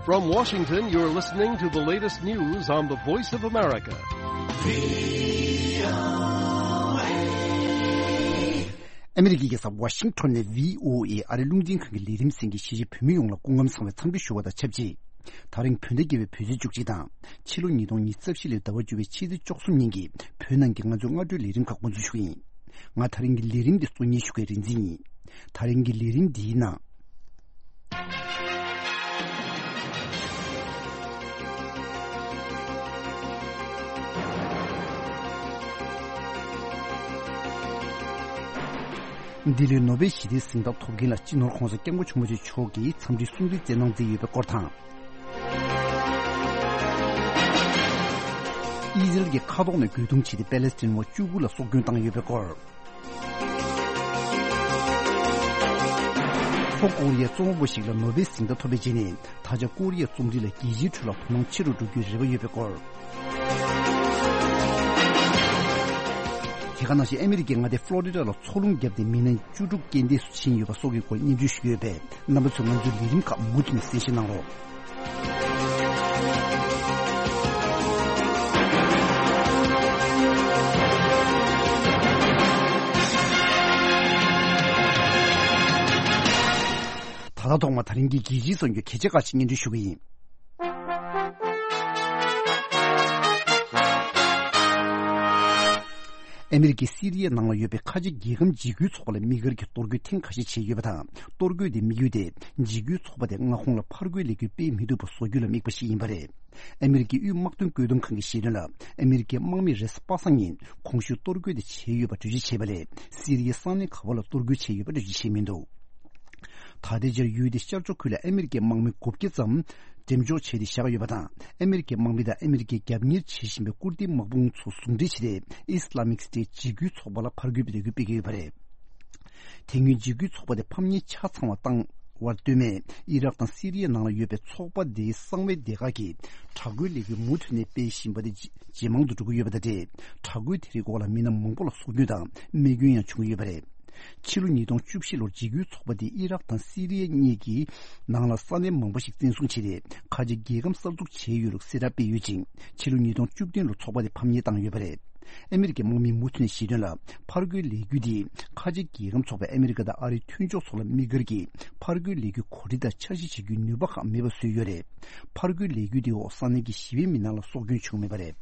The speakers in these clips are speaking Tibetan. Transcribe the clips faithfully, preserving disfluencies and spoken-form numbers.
From Washington, you're listening to the latest news on the Voice of America. ཨ་མི་རི་ཀའི་རྒྱལ་ས་ཝ་ཤིང་ཊོན་ནས་བྷི་ཨོ་ཨེ་ཨ་རིའི་རླུང་འཕྲིན་ཁང་གི་ལས་རིམ་གསན་མཁན་གཞིས་བྱེས་བོད་མི་ཡོངས་ལ་སྐུ་ཁམས་བཟང་བའི་འཚམས་འདྲི་ཞུ་བ་དང་ཆབས་ཅིག། ད་རིང་བོད་ཟླ་བརྒྱད་པའི་བོད་ཚེས་བཅུ་གཅིག་དང་། ཕྱི་ལོ་ཉིས་སྟོང་ཉི་ཤུ་རྩ་བཞི་ལོའི་ཟླ་བ་བཅུ་པའི་ཕྱི་ཚེས་བཅུ་གསུམ་ཉིན་གྱི་བོད་ནང་གི་ང་ཚོའི་སྔ་དྲོའི་ལས་རིམ་ཁག་འགོ་འཛུགས་ཞུ་གི་ཡིན། ང་ད་རིང་གི་ལས་རིམ་འདི་གཙོ་གཉེར་ཞུ་མཁན་རིག་འཛིན་ཡིན། ད་རིང་གི་ལས་རིམ་འདིའི་ནང་། ལྡི་ལིར་ནོ་སྦེལ་ཞི་བདེའི་གཟེངས་རྟགས་ཐོབ་མཁན་ལ་སྤྱི་ནོར་༧གོང་ས་༧སྐྱབས་མགོན་ཆེན་པོ་མཆོག་གིས་འཚམས་འདྲིའི་གསུང་འཕྲིན་བསྩལ་གནང་མཛད་ཡོད་པའི་སྐོར་དང་། ཨི་ཟི་རལ་གྱི་མཁའ་ཐོག་ནས་རྒོལ་རྡུང་བྱས་ཏེ་པེ་ལེ་སི་ཐན་བ་བཅུ་དགུ་ལ་སྲོག་སྐྱོན་བཏང་ཡོད་པའི་སྐོར། ལྷོ་ཀོ་རི་ཡའི་རྩོམ་པ་པོ་ཞིག་ལ་ནོ་སྦེལ་གཟེངས་རྟགས་ཐོབ་པའི་རྗེས་ནས། ད་ཆ་ཀོ་རི་ཡའི་རྩོམ་རིག་ལ་རྒྱལ་སྤྱིའི་ཁྲོད་ལ་དོ་སྣང་ཆེ་རུ་འགྲོ་རྒྱུའི་རེ་བ་ཡོད་པའི་སྐོར། དེ་ག་ནང་བཞིན་ཨ་མི་རི་ཀའི་མངའ་སྡེ་ཕློ་རི་ཌ་ལ་མཚོ་རླུང་བརྒྱབ་སྟེ་མི་སྣ་བཅུ་དྲུག་རྐྱེན་འདས་སུ་ཕྱིན་ཡོད་པ་སོགས་ཀྱི་སྐོར་སྙན་སྒྲོན་ཞུ་གི་ཡོད་པས། རྣམ་པ་ཚོས་ང་ཚོའི་ལས་རིམ་ཁག་མུ་མཐུད་ནས་གསན་བཞེས་གནང་རོགས། ད་ལྟ་ཐོག་མར་ད་རིང་གི་རྒྱལ་སྤྱིའི་གསར་འགྱུར་གལ་ཆེ་ཁག་ཅིག་སྙན་སྒྲོན་ཞུ་གི་ཡིན། ཨ་མི་རི་ཀས་སི་རི་ཡའི་ནང་ལ་ཡོད་པའི་ཁ་ཆེ་རྒྱལ་ཁམས་འཇིགས་སྐུལ་ཚོགས་པ་ལ་དམིགས་བཀར་གྱིས་གཏོར་རྒོལ་ཐེངས་ཁ་ཤས་བྱས་ཡོད་པ་དང་། གཏོར་རྒོལ་དེའི་དམིགས་ཡུལ་དེ་འཇིགས་སྐུལ་ཚོགས་པ་དེ་མངའ་ཁོངས་ལ་ཕར་རྒོལ་ལས་འགུལ་སྤེལ་མི་ཐུབ་པ་བཟོ་རྒྱུ་ལ་དམིགས་པ་ཞིག་ཡིན་པ་རེད། ཨ་མི་རི་ཀའི་དབུས་དམག་དོན་བཀོད་འདོམས་ཁང་གིས་བཤད་དོན་ལ། ཨ་མི་རི་ཀའི་དམག་མིས་རེས་གཟའ་པ་སངས་ཉིན་གོང་ཞུས་གཏོར་རྒོལ་དེ་བྱས་ཡོད་པ་འགྲེལ་བརྗོད་བྱས་པ་ལས། སི་རི་ཡའི་ས་གནས་ག་བ་ལ་གཏོར་རྒོལ་བྱས་ཡོད་པ་འགྲེལ་བརྗོད་བྱས་མི་འདུག། ད་ལྟའི་ཆར་ཡུལ་དེའི་ཤར་ཕྱོགས་ཁུལ་ལ་ཨ་མི་རི་ཀའི་དམག་མི་དགུ་བརྒྱ་ཙམ་འགྲེམས་འཇོག་བྱས་ཏེ་བཞག་ཡོད་པ་དང་། ཨ་མི་རི་ཀའི་དམག་མི་དང་ཨ་མི་རི་ཀས་རྒྱབ་གཉེར་བྱེད་བཞིན་པའི་ཀུར་ཏིའི་དམག་དཔུང་ཚོ་ཟུང་འབྲེལ་བྱས་ཏེ། ཨི་སི་ལ་མིག་སི་ཏེ་འཇིགས་སྐུལ་ཚོགས་པ་ལ་ཕར་རྒོལ་གྱི་ལས་འགུལ་སྤེལ་གྱི་ཡོད་པ་རེད། དེ་སྔོན་འཇིགས་སྐུལ་ཚོགས་པ་དེ་ཕམ་ཉེས་ཆ་ཚང་བ་བཏང་བར་ལྟོས་མེད། ཨི་རག་དང་སི་རི་ཡའི་ནང་ལ་ཡོད་པའི་ཚོགས་པ་དེའི་གསང་བའི་སྡེ་ཁག་གིས་དྲག་རྒོལ་ལས་འགུལ་མུ་མཐུད་ནས་སྤེལ་བཞིན་པ་དེ་ཇེ་མང་དུ་འགྲོ་གི་ཡོད་པ་དང་འབྲེལ། དྲག་རྒོལ་དེ་རིགས་འོག་ལ་མི་སྣ་མང་པོ་ལ་སྲོག་སྐྱོན་དང་རྨས་སྐྱོན་ཡང་བྱུང་གི་ཡོད་པ་རེད། ཕྱི་ལོ་ཉིས་སྟོང་བཅུ་བཞི་ལོར་འཇིགས་སྐུལ་ཚོགས་པ་དེས་ཨི་རག་དང་སི་རི་ཡ་གཉིས་ཀྱི་ནང་ལ་ས་གནས་མང་པོ་ཞིག་བཙན་བཟུང་བྱས་ཏེ། ཁ་ཆེ་རྒྱལ་ཁམས་གསར་འཛུགས་བྱས་ཡོད་ལུགས་གསལ་བསྒྲགས་སྤེལ་ཡོད་ཅིང་། ཕྱི་ལོ་ཉིས་སྟོང་བཅུ་བདུན་ལོར་ཚོགས་པ་དེ་ཕམ་ཉེས་བཏང་ཡོད་པ་རེད། ཨ་མི་རི་ཀའི་དམག་མིས་མུ་མཐུད་ནས་བཤད་དོན་ལ། ཕར་རྒོལ་ལས་འགུལ་དེས་ཁ་ཆེ་རྒྱལ་ཁམས་ཚོགས་པས་ཨ་མི་རི་ཀ་དང་ཨ་རིའི་མཐུན་ཕྱོགས་ཚོ་ལ་དམིགས་བཀར་གྱིས་ཕར་རྒོལ་ལས་འགུལ་གོ་སྒྲིག་དང་འཆར་གཞི་བྱེད་རྒྱུའི་ནུས་པ་ཁག་མེད་པ་བཟོས་ཡོད་རེད། ཕར་རྒོལ་ལས་འགུལ་དེའི་འོག་ས་གནས་ཀྱི་ཞི་བའི་མི་སྣ་ལ་སྲོག་སྐྱོན་བྱུང་མེད་པ་རེད།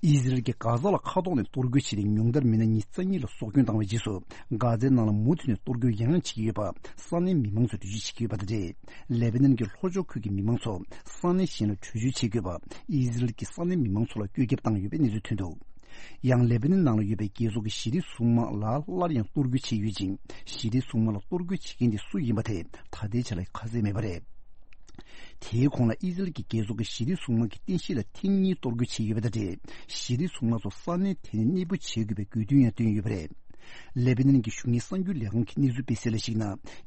ཨི་ཟི་རལ་གྱིས་གྷ་ཛ་ལ་མཁའ་ཐོག་ནས་གཏོར་རྒོལ་བྱས་ཏེ། ཉུང་མཐར་མི་སྣ་ཉི་ཤུ་རྩ་གཉིས་ལ་སྲོག་སྐྱོན་བཏང་བའི་རྗེས་སུ། གྷ་ཛའི་ནང་ལ་མུ་མཐུད་ནས་གཏོར་རྒོལ་ཡང་ཡང་བྱེད་ཀྱི་ཡོད་པ་ས་གནས་མི་མང་ཚོས་འགྲེལ་བརྗོད་བྱེད་ཀྱི་ཡོད་པ་དང་འབྲེལ། ལེ་བྷ་ནན་གྱི་ལྷོ་ཕྱོགས་ཁུལ་གྱི་མི་མང་ཚོ་ས་གནས་གཞན་ལ་བྲོས་བྱོལ་བྱེད་དགོས་པ། ཨི་ཟི་རལ་གྱིས་ས་གནས་མི་མང་ཚོ་ལ་བཀོད་ཁྱབ་བཏང་ཡོད་པའི་གནས་ཚུལ་ཐོན་འདུག། ཡང་ལེ་བྷ་ནན་ནང་ལ་ཡོད་པའི་རྒྱལ་ཚོགས་ཀྱི་ཞི་བདེའི་སྲུང་དམག་ལ་སླར་ཡང་གཏོར་རྒོལ་བྱས་ཡོད་ཅིང་། ཞི་བདེའི་སྲུང་དམག་ལ་གཏོར་རྒོལ་བྱེད་མཁན་དེ་སུ་ཡིན་པ་དེ་ད་ལྟའི་ཆ་ལ་ཁ་གསལ་མེད་པ་རེད། དེའི་གོང་ལ་ཨི་ཟི་རལ་གྱི་རྒྱལ་ཚོགས་ཀྱི་ཞི་བདེའི་སྲུང་དམག་གི་རྟེན་གཞི་ལ་ཐེངས་གཉིས་གཏོར་རྒོལ་བྱས་ཡོད་པ་དང་འབྲེལ། ཞི་བདེའི་སྲུང་དམག་ཚོ་ས་གནས་དེ་ནས་གནས་སྤོ་བྱེད་དགོས་པའི་དགོས་འདུན་ཡང་བཏོན་ཡོད་པ་རེད། ལེ་བྷ་ནན་གྱི་གཞུང་གཉེར་གསར་འགྱུར་ལས་ཁང་གིས་གནས་ཚུལ་སྤེལ་གསལ་ལ་གཞིགས་ན།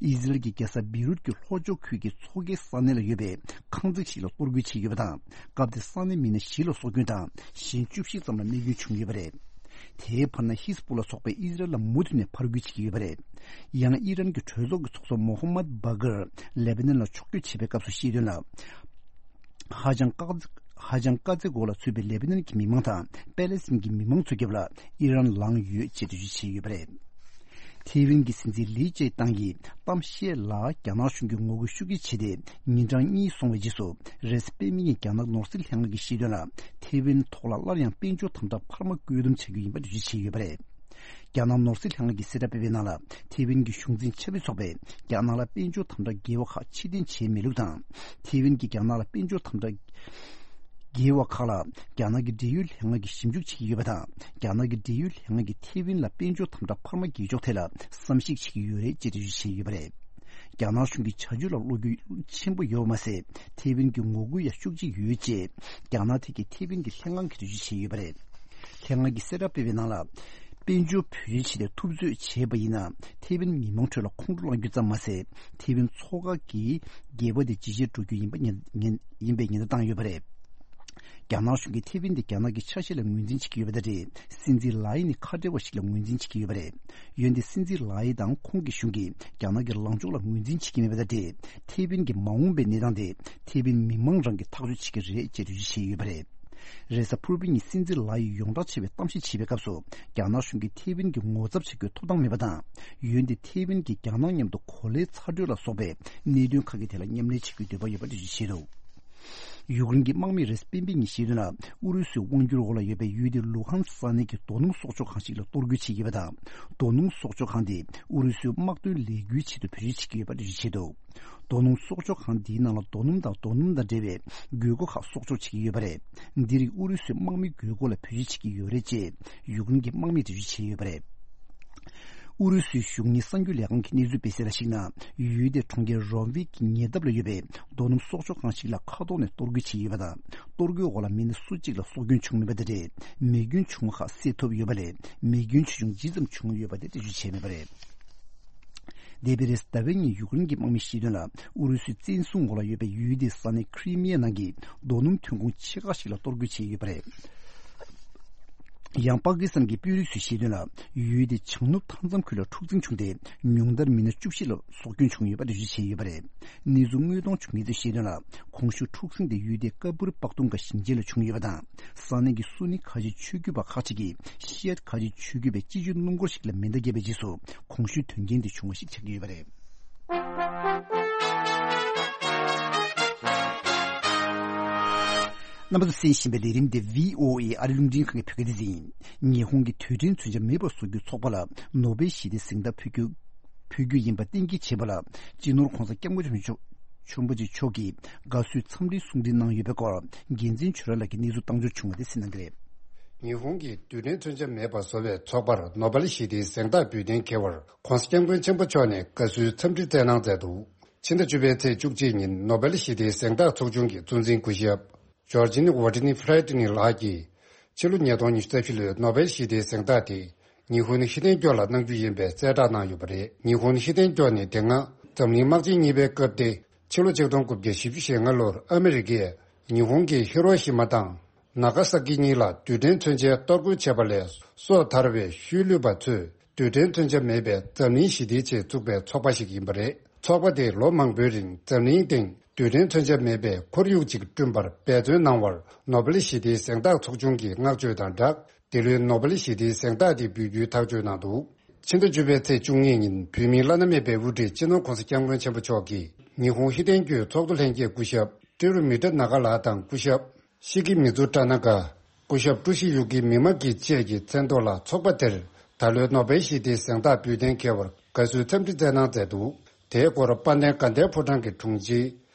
ཨི་ཟི་རལ་གྱི་རྒྱལ་ས་བེ་རུད་ཀྱི་ལྷོ་ཕྱོགས་ཁུལ་གྱི་མཚོ་ཁའི་ས་གནས་ལ་ཡོད་པའི་ཁང་བརྩེགས་ཤིག་ལ་གཏོར་རྒོལ་བྱས་ཡོད་པ་དང་། སྐབས་དེར་ས་གནས་མི་སྣ་བཞི་ལ་སྲོག་སྐྱོན་དང་། གཞན་བཅུ་བཞི་ཙམ་ལ་རྨས་སྐྱོན་བྱུང་ཡོད་པ་རེད། དེའི་བར་ན་ཧི་ཟ་བུ་ལ་ཚོགས་པས་ཨི་ཟི་རལ་ལ་མུ་མཐུད་ནས་ཕར་རྒོལ་བྱེད་ཀྱི་ཡོད་པ་རེད། ཡང་ཨི་རན་གྱི་གྲོས་ཚོགས་ཀྱི་ཚོགས་གཙོ་མོ་ཧམ་མད་བྷ་གར་ལེ་བྷ་ནན་ལ་ཕྱོགས་བསྐྱོད་བྱས་པའི་སྐབས་སུ་བཤད་དོན་ལ། ཧ་ཅང་དཀའ་ཧ་ཅང་དཀའ་ཚེགས་འོག་ལ་ཚུད་པའི་ལེ་བྷ་ནན་གྱི་མི་མང་དང་པེ་ལེ་སི་ཐན་གྱི་མི་མང་ཚོའི་རྒྱབ་ལ་ཨི་རན་ལངས་ཡོད་ཅེས་འགྲེལ་བརྗོད་བྱས་ཡོད་པ་རེད། ཐེ་ཝན་གྱི་སྲིད་འཛིན་ལི་ཅེ་ཏང་གིས་གཏམ་བཤད་ལ་རྒྱ་ནག་གཞུང་གིས་ངོ་རྒོལ་ཤུགས་ཆེ་བྱས་ཏེ། ཉིན་གྲངས་གཉིས་སོང་བའི་རྗེས་སུ་རེས་གཟའ་སྤེན་པའི་ཉིན་རྒྱ་ནག་ནོར་སྲིད་ལྷན་ཁང་གིས་བཤད་དོན་ལ། ཐེ་ཝན་ཐོག་ལ་སླར་ཡང་དཔལ་འབྱོར་དམ་དྲག་འཕར་མ་བཀོད་འདོམས་བྱ་རྒྱུ་ཡིན་པ་འགྲེལ་བརྗོད་བྱས་ཡོད་པ་རེད། རྒྱ་ནག་ནོར་སྲིད་ལྷན་ཁང་གིས་གསལ་བསྒྲགས་སྤེལ་བའི་ནང་ལ། ཐེ་ཝན་གྱི་གཞུང་འཛིན་ཆབ་སྲིད་ཚོགས་པས་རྒྱ་ནག་ལ་དཔལ་འབྱོར་དམ་དྲག་འགལ་བ་ཁག་ཕྱིར་འཐེན་བྱས་མེད་ལུགས་དང་། ཐེ་ཝན་གྱིས་རྒྱ་ནག་ལ་དཔལ་འབྱོར་དམ་དྲག་འགལ་བ་ཁག་ལ་རྒྱ་ནག་གི་འབྲེལ་ཡོད་ལྷན་ཁང་གིས་ཞིབ་འཇུག་བྱེད་ཀྱི་ཡོད་པ་དང་། རྒྱ་ནག་གི་འབྲེལ་ཡོད་ལྷན་ཁང་གིས་ཐེ་ཝན་ལ་དཔལ་འབྱོར་དམ་དྲག་འཕར་མ་འགེལ་ཕྱོགས་ཐད་ལ་བསམ་གཞིག་བྱེད་ཀྱི་ཡོད་རེད་ཅེས་འགྲེལ་བརྗོད་བྱས་ཡོད་པ་རེད། རྒྱ་ནག་གཞུང་གི་བྱ་སྤྱོད་ལ་བློ་འགྱོད་ཆེན་པོ་ཡོད་པ་མ་ཟད། ཐེ་ཝན་གྱི་ངོ་རྒོལ་ཡང་ཤུགས་ཆེ་ཡོད་ཅེས་རྒྱ་ནག་ཐད་ཀྱི་ཐེ་ཝན་གྱི་ལྷན་ཁང་གིས་འགྲེལ་བརྗོད་བྱས་ཡོད་པ་རེད། ལྷན་ཁང་གིས་གསལ་བསྒྲགས་སྤེལ་བའི་ནང་ལ། དཔལ་འབྱོར་བོད་ཡིག་ཆེད་དུ་ཐུབ་ཚོད་བྱས་པ་ཡིན་ན། ཐེ་ཝན་མི་མང་ཁྲོད་ལ་ཁོང་ཁྲོ་ལངས་རྒྱུ་ཙམ་མ་ཟད། ཐེ་ཝན་མཚོ་ཁ་གི་རྒྱལ་བ་དེ་ཇེ་ཆེར་འགྲོ་རྒྱུ་ཡིན་པ་ཉེན་ཉེན་ཡིན་པའི་ཉེན་བརྡ་བཏང་ཡོད་པ་རེད། རྒྱ་ནག་གཞུང་གིས་ཐེ་ཝན་དེ་རྒྱ་ནག་གི་ཆ་ཤས་ལ་ངོས་འཛིན་བྱེད་ཀྱི་ཡོད་པ་དང་འབྲེལ། སྲིད་འཛིན་ལའེ་ནི་ཁ་བྲལ་བ་ཞིག་ལ་ངོས་འཛིན་བྱེད་ཀྱི་ཡོད་པ་རེད། འོན་ཏེ་སྲིད་འཛིན་ལའེ་དང་ཁོང་གི་གཞུང་གིས་རྒྱ་ནག་གི་ལངས་ཕྱོགས་ལ་ངོས་འཛིན་བྱེད་ཀྱི་མེད་པ་དང་འབྲེལ། ཐེ་ཝན་གྱི་མ་འོངས་པའི་གནས་སྟངས་དེ་ཐེ་ཝན་མི་མང་རང་གིས་ཐག་གཅོད་བྱེད་ཀྱི་རེད་ཅེས་འགྲེལ་བརྗོད་བྱས་ཡོད་པ་རེད། རེས་གཟའ་ཕུར་བུ་ཉིན་སྲིད་འཛིན་ལའེ་ཡིས་ཡོངས་གྲགས་ཆེ་བའི་གཏམ་བཤད་བྱེད་པའི་སྐབས་སུ། རྒྱ་ནག་གཞུང་གིས་ཐེ་ཝན་གྱི་ངོ་ཚབ་བྱེད་རྒྱུའི་ཐོབ་ཐང་མེད་པ་དང་། འོན་ཏེ་ཐེ་ཝན་གྱིས་རྒྱ་ནག་མཉམ་དུ་གོ་ལའི་ཚ་དྲོད་ལ་སོགས་པའི་གནད་དོན་ཁག་གི་ཐད་ལ་མཉམ་ལས་བྱེད་རྒྱུའི་འདོད་པ་ཡོད་པ་འགྲེལ་བརྗོད་བྱས་འདུག་ཡུཀ་རེན་གྱི་དམག་མི་རེས་སྤེན་པིང་གིས་བཤད་དོན་ལ། ཨུ་རུ་སུའི་དབང་སྒྱུར་འོག་ལ་ཡོད་པའི་ཡུལ་དེའི་ལུ་ཧན་ས་གནས་ཀྱི་རྡོ་སྣུམ་གསོག་འཇོག་ཁང་ཞིག་ལ་གཏོར་རྒོལ་བྱེད་ཀྱི་ཡོད་པ་དང་། རྡོ་སྣུམ་གསོག་འཇོག་ཁང་དེ་ཨུ་རུ་སུའི་དམག་དོན་ལས་འགུལ་ཆེད་དུ་བེད་སྤྱོད་བྱེད་ཀྱི་ཡོད་པ་འགྲེལ་བརྗོད་བྱས་འདུག་རྡོ་སྣུམ་གསོག་འཇོག་ཁང་འདིའི་ནང་ལ་རྡོ་སྣུམ་དང་རྡོ་སྣུམ་དང་འབྲེལ་བའི་དགོས་མཁོ་ཁག་གསོག་འཇོག་བྱེད་ཀྱི་ཡོད་པ་རེད། འདི་རིགས་ཨུ་རུ་སུའི་དམག་མིའི་དགོས་མཁོ་ལ་བེད་སྤྱོད་བྱེད་ཀྱི་ཡོད་རེད་ཅེས་ཡུཀ་རེན་གྱི་དམག་མིས་འགྲེལ་བརྗོད་བྱས་ཡོད་པ་རེད། ཨུ་རུ་སུའི་གཞུང་གཉེར་གསར་འགྱུར་ལས་ཁང་གི་གནས་ཚུལ་སྤེལ་གསལ་ལ་གཞིགས་ན། ཡུལ་དེའི་གྲོང་ཁྱེར་རོམ་བིག་གི་ཉེ་འདབས་ལ་ཡོད་པའི་རྡོ་སྣུམ་གསོག་འཇོག་ཁང་ཞིག་ལ་མཁའ་ཐོག་ནས་གཏོར་རྒོལ་བྱས་ཡོད་པ་དང་། གཏོར་རྒོལ་འོག་ལ་མི་སྣ་སུ་གཅིག་ལ་སྲོག་སྐྱོན་བྱུང་མེད་པ་དེ་རེད། མེ་སྐྱོན་བྱུང་བ་ཁག་སེལ་ཐུབ་ཡོད་པ་ལས། མེ་སྐྱོན་ཆེ་ཆུང་ཇི་ཙམ་བྱུང་ཡོད་པ་དེ་འགྲེལ་བརྗོད་བྱས་མེད་པ་རེད། འདས་པའི་རེས་གཟའ་ཟླ་བའི་ཉིན་ཡུཀ་རེན་གྱི་དམག་མིས་བཤད་དོན་ལ། ཨུ་རུ་སུའི་བཙན་བཟུང་འོག་ལ་ཡོད་པའི་ཡུལ་དེའི་ས་གནས་ཁི་རི་མི་ཡ་ནང་གི་རྡོ་སྣུམ་ཐོན་ཁུངས་ཆེ་ཁག་ཞིག་ལ་གཏོར་རྒོལ་བྱས་ཡོད་པ་རེད། ཡང་པ་ཀི་སི་ཐན་གྱི་དཔོན་རིགས་ཚོས་བཤད་དོན་ལ། ཡུལ་དེའི་བྱང་ནུབ་མཐའ་མཚམས་ཁུལ་ལ་འཁྲུག་འཛིང་བྱུང་སྟེ། ཉུང་མཐར་མི་སྣ་བཅུ་བཞི་ལ་སྲོག་སྐྱོན་བྱུང་ཡོད་པ་འགྲེལ་བརྗོད་བྱས་ཡོད་པ་རེད། གནས་ཚུལ་དངོས་མཐོང་བྱུང་མཁན་ཚོས་བཤད་དོན་ལ། གོང་ཞུས་འཁྲུག་ཟིང་དེ་ཡུལ་དེའི་ཀ་པུར་པག་ཏུང་ག་ཞིང་ཆེན་ལ་བྱུང་ཡོད་པ་དང་། ས་གནས་ཀྱི་སུ་ནི་ཁ་ཆེ་ཆོས་བརྒྱུད་པ་ཁག་ཅིག་གིས་ཤི་ཨད་ཁ་ཆེ་ཆོས་བརྒྱུད་པའི་སྤྱི་སྤྱོད་སྣུམ་འཁོར་ཞིག་ལ་མེ་མདའ་བརྒྱབ་པའི་རྗེས་སུ། གོང་ཞུས་དོན་རྐྱེན་དེ་བྱུང་བ་ཞིག་ཆགས་ཀྱི་ཡོད་པ་རེད། རྣམ་པ་ཚོས་གསན་བཞིན་པའི་ལས་རིམ་འདི་བྷི་ཨོ་ཨེ་ཨ་རི་རླུང་འཕྲིན་ཁང་གི་བོད་སྐད་སྡེ་ཚན་ཡིན། ཉི་ཧོང་གིས་རྡུལ་ཕྲན་མཚོན་ཆ་མེད་པར་བཟོ་རྒྱུའི་ཚོགས་པ་ལ་ནོ་བེལ་ཞི་བདེའི་གཟེངས་རྟགས་ཕུལ་རྒྱུ་ཕུལ་རྒྱུ་ཡིན་པ་གཏན་འཁེལ་བྱས་པ་ལ། སྤྱི་ནོར་༧གོང་ས་༧སྐྱབས་མགོན་ཆེན་པོ་མཆོག་ཆེན་པོ་མཆོག་གིས་དགའ་བསུའི་འཚམས་འདྲིའི་གསུང་འཕྲིན་གནང་ཡོད་པའི་སྐོར། རྒྱལ་མཚན་ཆོས་གྲགས་ལགས་ཀྱིས་གནས་ཚུལ་བཏང་འབྱོར་བྱུང་བ་དེ་གསན་གནང་གི་རེད། ཉི་ཧོང་གིས་རྡུལ་ཕྲན་མཚོན་ཆ་མེད་པ་བཟོ་བའི་ཚོགས་པར་ནོ་བེལ་ཞི་བདེའི་གཟེངས་རྟགས་འབུལ་གཏན་འཁེལ་བར། ༧གོང་ས་༧སྐྱབས་མགོན་ཆེན་པོ་མཆོག་ནས་དགའ་བསུའི་འཚམས་འདྲི་སྩལ་གནང་མཛད་འདུག་ཕྱི་ཟླ་བཅུ་པའི་ཚེས་བཅུ་གཅིག་ཉིན་ནོ་བེལ་ཞི་བདེའི་གཟེངས་རྟགས་ཚོགས་ཆུང་གི་གཙོ་འཛིན་སྐུ་ཞབས། ཇོར་ཇིན་ཝོ་ཏི་ནི་ཧྥི་རེ་ཏི་ནི་ལགས་ཀྱིས། ཕྱི་ལོ་ཉིས་སྟོང་ཉི་ཤུ་རྩ་བཞི་ལོའི་ནོ་བེལ་ཞི་བདེའི་གཟེངས་རྟགས་དེ། ཉི་ཧོང་ཧི་ཏན་ཀྱོ་ལ་གནང་རྒྱུ་ཡིན་པའི་གསལ་བསྒྲགས་གནང་ཡོད་པ་རེད། ཉི་ཧོང་ཧི་ཏན་ཀྱོ་ནི་དེ་སྔ་འཛམ་གླིང་དམག་ཆེན་གཉིས་པའི་སྐབས་ཏེ། ཕྱི་ལོ་ཆིག་སྟོང་དགུ་བརྒྱ་བཞི་བཅུ་ཞེ་ལྔ་ལོར་ཨ་མི་རི་ཀས་ཉི་ཧོང་གི་ཧི་རོ་ཤི་མ་དང་ན་ག་ས་ཀི་གཉིས་ལ་རྡུལ་ཕྲན་མཚོན་ཆའི་གཏོར་རྒོལ་བྱས་པ་ལས་སོ་ཐར་བའི་ཤུལ་ལུས་པ་ཚོས་རྡུལ་ཕྲན་མཚོན་ཆ་མེད་པའི་འཛམ་གླིང་ཞི་བདེའི་ཆེད་བཙུགས་པའི་ཚོགས་པ་ཞིག་ཡིན་པ་རེད། ཚོགས་པ་དེས་ལོ་མང་པོའི་རིང་འཛམ་གླིང་སྟེང་རྡུལ་ཕྲན་མཚོན་ཆ་མེད་པའི་ཁོར་ཡུག་ཅིག་བསྐྲུན་པར་འབད་བརྩོན་གནང་བར་ནོ་བེལ་ཞི་བདེའི་གཟེངས་རྟགས་ཚོགས་ཆུང་གིས་བསྔགས་བརྗོད་དང་སྦྲགས། འདི་ལོའི་ནོ་བེལ་ཞི་བདེའི་གཟེངས་རྟགས་དེ་འབུལ་རྒྱུའི་ཐག་གཅོད་གནང་འདུག་ཕྱི་ཟླ་བཅུ་པའི་ཚེས་བཅུ་གཉིས་ཉིན་བོད་མིའི་བླ་ན་མེད་པའི་དབུ་ཁྲིད་སྤྱི་ནོར་༧གོང་ས་༧སྐྱབས་མགོན་ཆེན་པོ་མཆོག་གིས་ཉི་ཧོང་ཧི་ཏན་ཀྱོའི་ཚོགས་གཙོ་ལྷན་རྒྱས་སྐུ་ཞབས་ཀྲི་རུ་མི་ཏྲ་ན་ག་ལགས་དང་སྐུ་ཞབས་ཤི་ཀི་མི་ཛུ་ཏྲ་ན་ག། སྐུ་ཞབས་ཀྲུ་ཤི་ཡུ་ཀི་མི་མ་ཀི་བཅས་ཀྱི་མཚན་ཐོག་ལ་ཚོགས་པ་དེར་ད་ལོའི་ནོ་བེལ་ཞི་བདེའི་གཟེངས་རྟགས་འབུལ་གཏན་འཁེལ་བར་དགའ་བསུའི་འཚམས་འདྲི་སྩལ་གནང་མཛད་འདུག་དེའི་སྐོར་དཔལ་ལྡན་དགའ་ལྡན་ཕོ་བྲང་གི་དྲུང་ཆེ་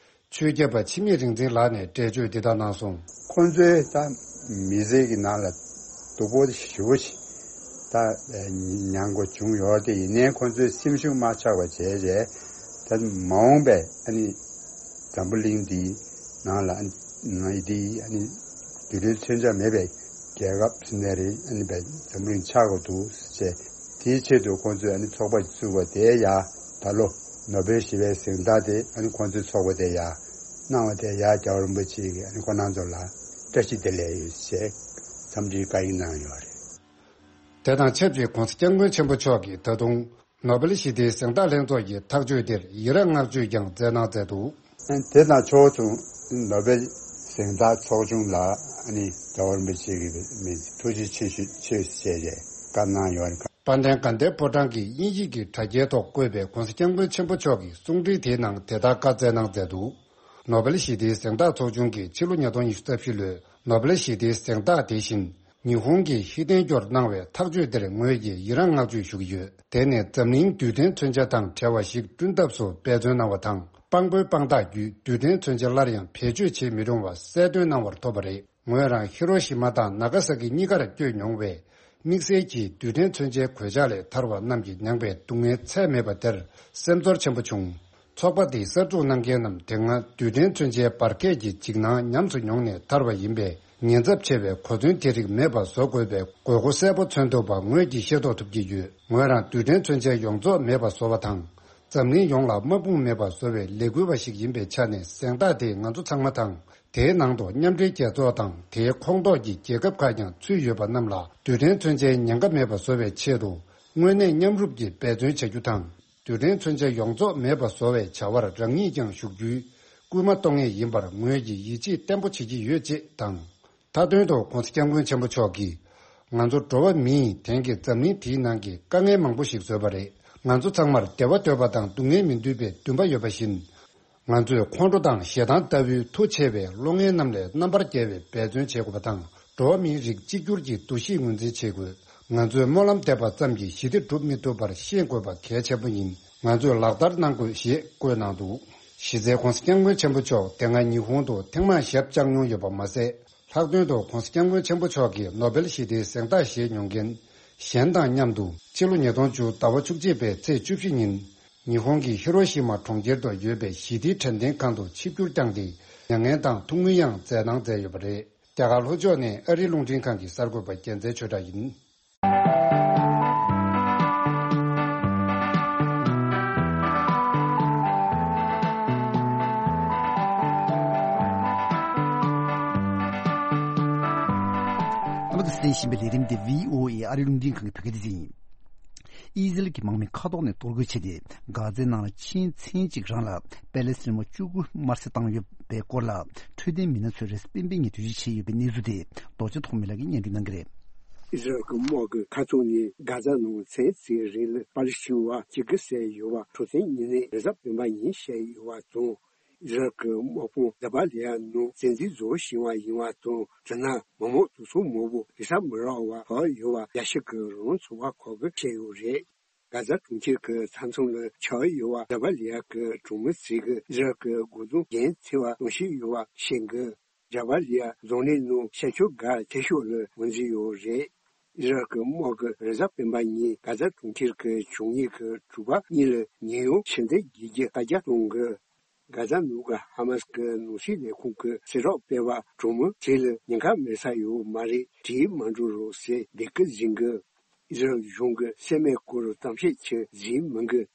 ཆོས་སྐྱབས་པ་འཆི་མེད་རིག་འཛིན་ལགས་ནས་འགྲེལ་བརྗོད་འདི་ལྟར་གནང་སོང་། ཁོང་ཚོའི་ད་མི་ཚེ་གི་ནང་ལ་སྡུག་པོ་ཞེ་པོ་ཞིག་ད་མྱངས་དགོས་བྱུང་ཡོད་དེ། ཡིན་ནའི་ཁོང་ཚོའི་སེམས་ཤུགས་མ་ཆག་པ་བྱས་རྗེས་ད་མ་འོངས་པའི་ཨ་ནི་འཛམ་བུ་གླིང་འདིའི་ནང་ལ་ཨ་ནི་འདི་ཨ་ནི་རྡུལ་ཕྲན་མཚོན་ཆ་མེད་པའི་རྒྱལ་ཁབ་ཟེར་ནའི་རེད། ཨ་ནི་བའི་འཛམ་བུ་གླིང་ཆགས་དགོས་འདུག་ཟེར། དེའི་ཆེད་དུ་ཁོང་ཚོས་ཨ་ནི་ཚོགས་པ་བཙུགས་པ་དེ་ཡ་ད་ལོ་ནོ་བེལ་ཞི་བའི་གཟེངས་རྟགས་དེ་ཨ་ནི་ཁོང་ཚོའི་ཚོགས་པ་དེ་ཡ་གནང་བ་དེ་ཡ་རྒྱལ་བ་རིན་པོ་ཆེ་གིས་ཨ་ནི་ཁོང་རྣམ་ཚོ་ལ་བཀྲ་ཤིས་བདེ་ལེགས་ཡོད་ཅེས་འཚམས་འདྲིའི་བཀའ་ཡིག་གནང་ཡོད་རེད། དེ་དང་ཆབས་ཅིག་༧གོང་ས་༧སྐྱབས་མགོན་ཆེན་པོ་མཆོག་གིས་ད་དུང་ནོ་བེལ་ཞི་བདེའི་གཟེངས་རྟགས་ལྷན་ཚོགས་ཀྱི་ཐག་གཅོད་དེར་ཡི་རངས་བསྔགས་བརྗོད་ཀྱང་སྩལ་གནང་མཛད་འདུག་དེ་དང་ཕྱོགས་མཚུངས་ནོ་བེལ་གཟེངས་རྟགས་ཚོགས་ཆུང་ལ་ཨ་ནི་རྒྱལ་བ་རིན་པོ་ཆེ་གིས་མི་ཐུགས་རྗེ་ཆེ་ཞུ་ཆེ་ཞུ་བྱས་ཏེ་བཀའ་གནང་ཡོད་རེད། དཔལ་ལྡན་དགའ་ལྡན་ཕོ་བྲང་གི་དབྱིན་ཡིག་གི་དྲ་རྒྱའི་ཐོག་བཀོད་པའི་༧གོང་ས་༧སྐྱབས་མགོན་ཆེན་པོ་མཆོག་གི་གསུང་འཕྲིན་དེའི་ནང་དེ་ལྟར་བཀའ་སྩལ་གནང་མཛད་འདུག་ནོ་བེལ་ཞི་བདེའི་གཟེངས་རྟགས་ཚོགས་ཆུང་གིས་ཕྱི་ལོ་ཉིས་སྟོང་ཉི་ཤུ་རྩ་བཞི་ལོའི་ནོ་བེལ་ཞི་བདེའི་གཟེངས་རྟགས་དེ་བཞིན། ཉི་ཧོང་གིས་ཧི་ཏན་ཀྱོར་གནང་བའི་ཐག་གཅོད་དེར་ངོས་ཀྱིས་ཡི་རངས་བསྔགས་བརྗོད་ཞུ་གི་ཡོད། དེ་ནི་འཛམ་གླིང་རྡུལ་ཕྲན་མཚོན་ཆ་དང་བྲལ་བ་ཞིག་བསྐྲུན་ཐབས་སུ་འབད་བརྩོན་གནང་བ་དང་། དཔང་པོའི་དཔང་རྟགས་བརྒྱུད་རྡུལ་ཕྲན་མཚོན་ཆ་སླར་ཡང་བེད་སྤྱོད་བྱེད་མི་རུང་བ་གསལ་སྟོན་གནང་བར་ཐོབ་པ་རེད། ངོས་རང་ཧི་རོ་ཤི་མ་དང་ན་ག་ས་ཀི་གཉིས་ཀར་བསྐྱོད་མྱོང་བས། དམིགས་བསལ་གྱིས་རྡུལ་ཕྲན་མཚོན་ཆའི་གོད་ཆག་ལས་ཐར་བ་རྣམས་ཀྱི་མྱངས་པའི་སྡུག་བསྔལ་ཚད་མེད་པ་དེར་སེམས་ཚོར་ཆེན་པོ་བྱུང་། ཚོགས་པ་འདིས་གསར་འཛུགས་གནང་མཁན་རྣམས་དེ་སྔ་རྡུལ་ཕྲན་མཚོན་ཆའི་འབར་གས་ཀྱི་འཇིགས་སྣང་ཉམས་སུ་མྱོང་ནས་ཐར་བ་ཡིན་པས། ཉེན་ཚབས་ཆེ་བའི་གོ་མཚོན་དེ་རིགས་མེད་པ་བཟོ་དགོས་པའི་དགོས་མཁོ་གསལ་པོ་མཚོན་ཐུབ་པ་ངོས་ཀྱིས་ཤེས་རྟོགས་ཐུབ་ཀྱི་ཡོད། ངོས་རང་རྡུལ་ཕྲན་མཚོན་ཆའི་ཡོངས་རྫོགས་མེད་པ་བཟོ་བ་དང་། འཛམ་གླིང་ཡོངས་ལ་དམག་དཔུང་མེད་པ་བཟོ་བའི་ལས་འགུལ་བ་ཞིག་ཡིན་པའི་ཆ་ནས་གཟེངས་རྟགས་དེས་ང་ཚོ་ཚང་མ་དང་། དེའི་ནང་དུ་མཉམ་འབྲེལ་རྒྱལ་ཚོགས་དང་དེའི་ཁོངས་གཏོགས་ཀྱི་རྒྱལ་ཁབ་ཁག་ཀྱང་ཚུད་ཡོད་པ་རྣམས་ལ་རྡུལ་ཕྲན་མཚོན་ཆའི་ཉེན་ཁ་མེད་པ་བཟོ་བའི་ཆེད་དུ་དངོས་གནས་མཉམ་རུབ་ཀྱིས་འབད་བརྩོན་བྱ་རྒྱུ་དང་། རྡུལ་ཕྲན་མཚོན་ཆ་ཡོངས་རྫོགས་མེད་པ་བཟོ་བའི་བྱ་བར་རང་ཉིད་ཀྱང་ཞུགས་རྒྱུའི་སྐུལ་མ་གཏོང་ངེས་ཡིན་པར་ངོས་ཀྱིས་ཡིད་ཆེས་བརྟན་པོ་བྱེད་ཀྱི་ཡོད་ཅེས་དང་། མཐའ་དོན་དུ་༸གོང་ས་༸སྐྱབས་མགོན་ཆེན་པོ་མཆོག་གིས། ང་ཚོ་འགྲོ་བ་མིས་དེང་གི་འཛམ་གླིང་འདིའི་ནང་གི་དཀའ་ངལ་མང་པོ་ཞིག་བཟོས་པ་རེད། ང་ཚོ་ཚང་མར་བདེ་བ་འདོད་པ་དང་སྡུག་བསྔལ་མི་འདོད་པའི་འདུན་པ་ཡོད་པ་བཞིན། ང་ཚོས་ཁོང་ཁྲོ་དང་ཞེ་སྡང་ལྟ་བུའི་མཐུ་ཆེ་བའི་བློ་ངན་རྣམས་ལས་རྣམ་པར་རྒྱལ་བའི་འབད་བརྩོན་བྱེད་དགོས་པ་དང་། འགྲོ་བ་མིའི་རིགས་གཅིག་གྱུར་གྱི་འདུ་ཤེས་ངོས་འཛིན་བྱེད་དགོས། ང་ཚོས་སྨོན་ལམ་འདེབས་པ་ཙམ་གྱིས་ཞི་བདེ་སྒྲུབ་མི་ཐུབ་པར་ཤེས་དགོས་པ་གལ་ཆེན་པོ་ཡིན། ང་ཚོས་ལག་བསྟར་གནང་དགོས་ཞེས་བཀོད་གནང་འདུག་གཞི་རྩའི་༸གོང་ས་༸སྐྱབས་མགོན་ཆེན་པོ་མཆོག་དེ་སྔ་ཉི་ཧོང་དུ་ཐེངས་མང་ཞབས་བཅགས་མྱོང་ཡོད་པ་མ་ཟད། ལྷག་དོན་དུ་༸གོང་ས་༸སྐྱབས་མགོན་ཆེན་པོ་མཆོག་གིས་ནོ་བེལ་ཞི་བདེའི་གཟེངས་རྟགས་བཞེས་མྱོང་མཁན་གཞན་དང་མཉམ་དུ་ཕྱི་ལོ་ཉིས་སྟོང་བཅུ་ཟླ་བ་བཅུ་གཅིག་པའི་ཚེས་བཅུ་བཞི་ཉིན། ཉི་ཧོང་གི་ཧི་རོ་ཤི་མ་གྲོང་ཁྱེར་དུ་ཡོད་པའི་ཞི་བདེའི་དྲན་རྟེན་ཁང་དུ་ཆིབས་བསྒྱུར་བསྐྱངས་ཏེ་མྱ་ངན་དང་ཐུགས་མོས་ཡང་མཛད་གནང་མཛད་ཡོད་པ་རེད། རྒྱ་གར་ལྷོ་ཕྱོགས་ནས་ཨ་རིའི་རླུང་འཕྲིན་ཁང་གི་གསར་འགོད་པ་རྒྱལ་མཚན་ཆོས་གྲགས་ཡིན། ཨ་མ་དང་གསན་བཞིན་པའི་ལས་རིམ་འདི་བྷི་ཨོ་ཨེ་ཨ་རིའི་རླུང་འཕྲིན་ཁང་གི་བོད་སྐད་སྡེ་ཚན་ཡིན། ཨི་ཟི་རལ་གྱི་དམག་མི་མཁའ་ཐོག་ནས་གཏོར་རྒོལ་བྱས་ཏེ། གྷ་ཛའི་ནང་ལ་ཕྱིན་ཚེ་གཅིག་རང་ལ་པེ་ལེ་སི་ཐན་དམག་བཅུ་དགུ་དམར་གསོད་བཏང་ཡོད་པའི་སྐོར་ལ། འཕྲོད་བསྟེན་མི་སྣ་ཚོས་རེས་གཟའ་སྤེན་པའི་ཉིན་འགྲེལ་བརྗོད་བྱས་ཡོད་པའི་གནས་ཚུལ་དེ་རྡོ་རྗེ་ཐོགས་མེད་ལགས་ཀྱིས་སྙན་སྒྲོན་གནང་གི་རེད། ཨི་ཟི་རལ་གྱི་དམག་གིས་མཁའ་ཐོག་ནས་གྷ་ཛ་ནང་ཚེ་གཅིག་རིང་ལ་པ་ལི་སི་ཐན་བ་གཅིག་གིས་བསད་ཡོད་པ་འཕྲོད་བསྟེན་མི་སྣས་རེས་གཟའ་སྤེན་པ་ཉིན་བཤད་ཡོད་པ་དང་། ཨི་ཟི་རལ་གྱི་དམག་དཔུང་ཛ་བྷ་ལི་ཡ་ནང་བཙན་འཛུལ་བཟོ་བཞིན་པ་ཡིན་པ་དང་། དེ་ན་མི་མང་དུག་སོགས་མང་པོ་རེས་གཟའ་མི་རག་པར་བབས་ཡོད་པ་རྒྱལ་སྤྱི་གི་རང་དབང་ཚོགས་པ་ཁག་གིས་བཤད་ཡོད་རེད། གྷ་ཛ་གྲོང་ཁྱེར་གྱི་མཐའ་མཚམས་ལ་ཆགས་ཡོད་པ་ཛ་བྷ་ལི་ཡ་གི་གྲོང་མི་ཚོས་ཀྱིས་ཨི་ཟི་རལ་གྱི་འགོག་སྡོམ་འགན་འཁྱེར་བ་གཏོང་བཞིན་ཡོད་པ་བཤད་འདུག་ཛ་བྷ་ལི་ཡ་རྫོང་ནས་ནང་ཤར་ཕྱོགས་སྒར་ཆེ་ཤོས་ལ་ངོས་འཛིན་ཡོད་རེད། ཨི་ཟི་རལ་གྱི་དམག་གིས་རེས་གཟའ་སྤེན་པ་ཉིན་གྷ་ཛ་གྲོང་ཁྱེར་གྱི་བྱུང་ཉེས་ཀྱི་གྲུ་པ་གཉིས་ལ་ཉེན་གཡོལ་ཕྱིར་འཐེན་བྱེད་རྒྱུའི་བཀའ་རྒྱ་གཏོང་གི། གྷ་ཛ་ནང་གི་ཧ་མ་སི་གི་ནང་སྲིད་ལས་ཁུངས་ཀྱིས་གསལ་བསྒྲགས་སྤེལ་བར། གྲོང་མི་ཚོ་ལ་ཉེན་ཁ་མེད་ས་ཡོད་མ་རེད། བྲོས་མ་འགྲོ་རོགས་ཟེར་འབོད་སྐུལ་ཟིན་གི། ཨི་ཟི་རལ་གཞུང་གིས་བསད་རྨས་སྐོར་གཏམ་བཤད་ཅིག་ཟིན་མི་འདུག་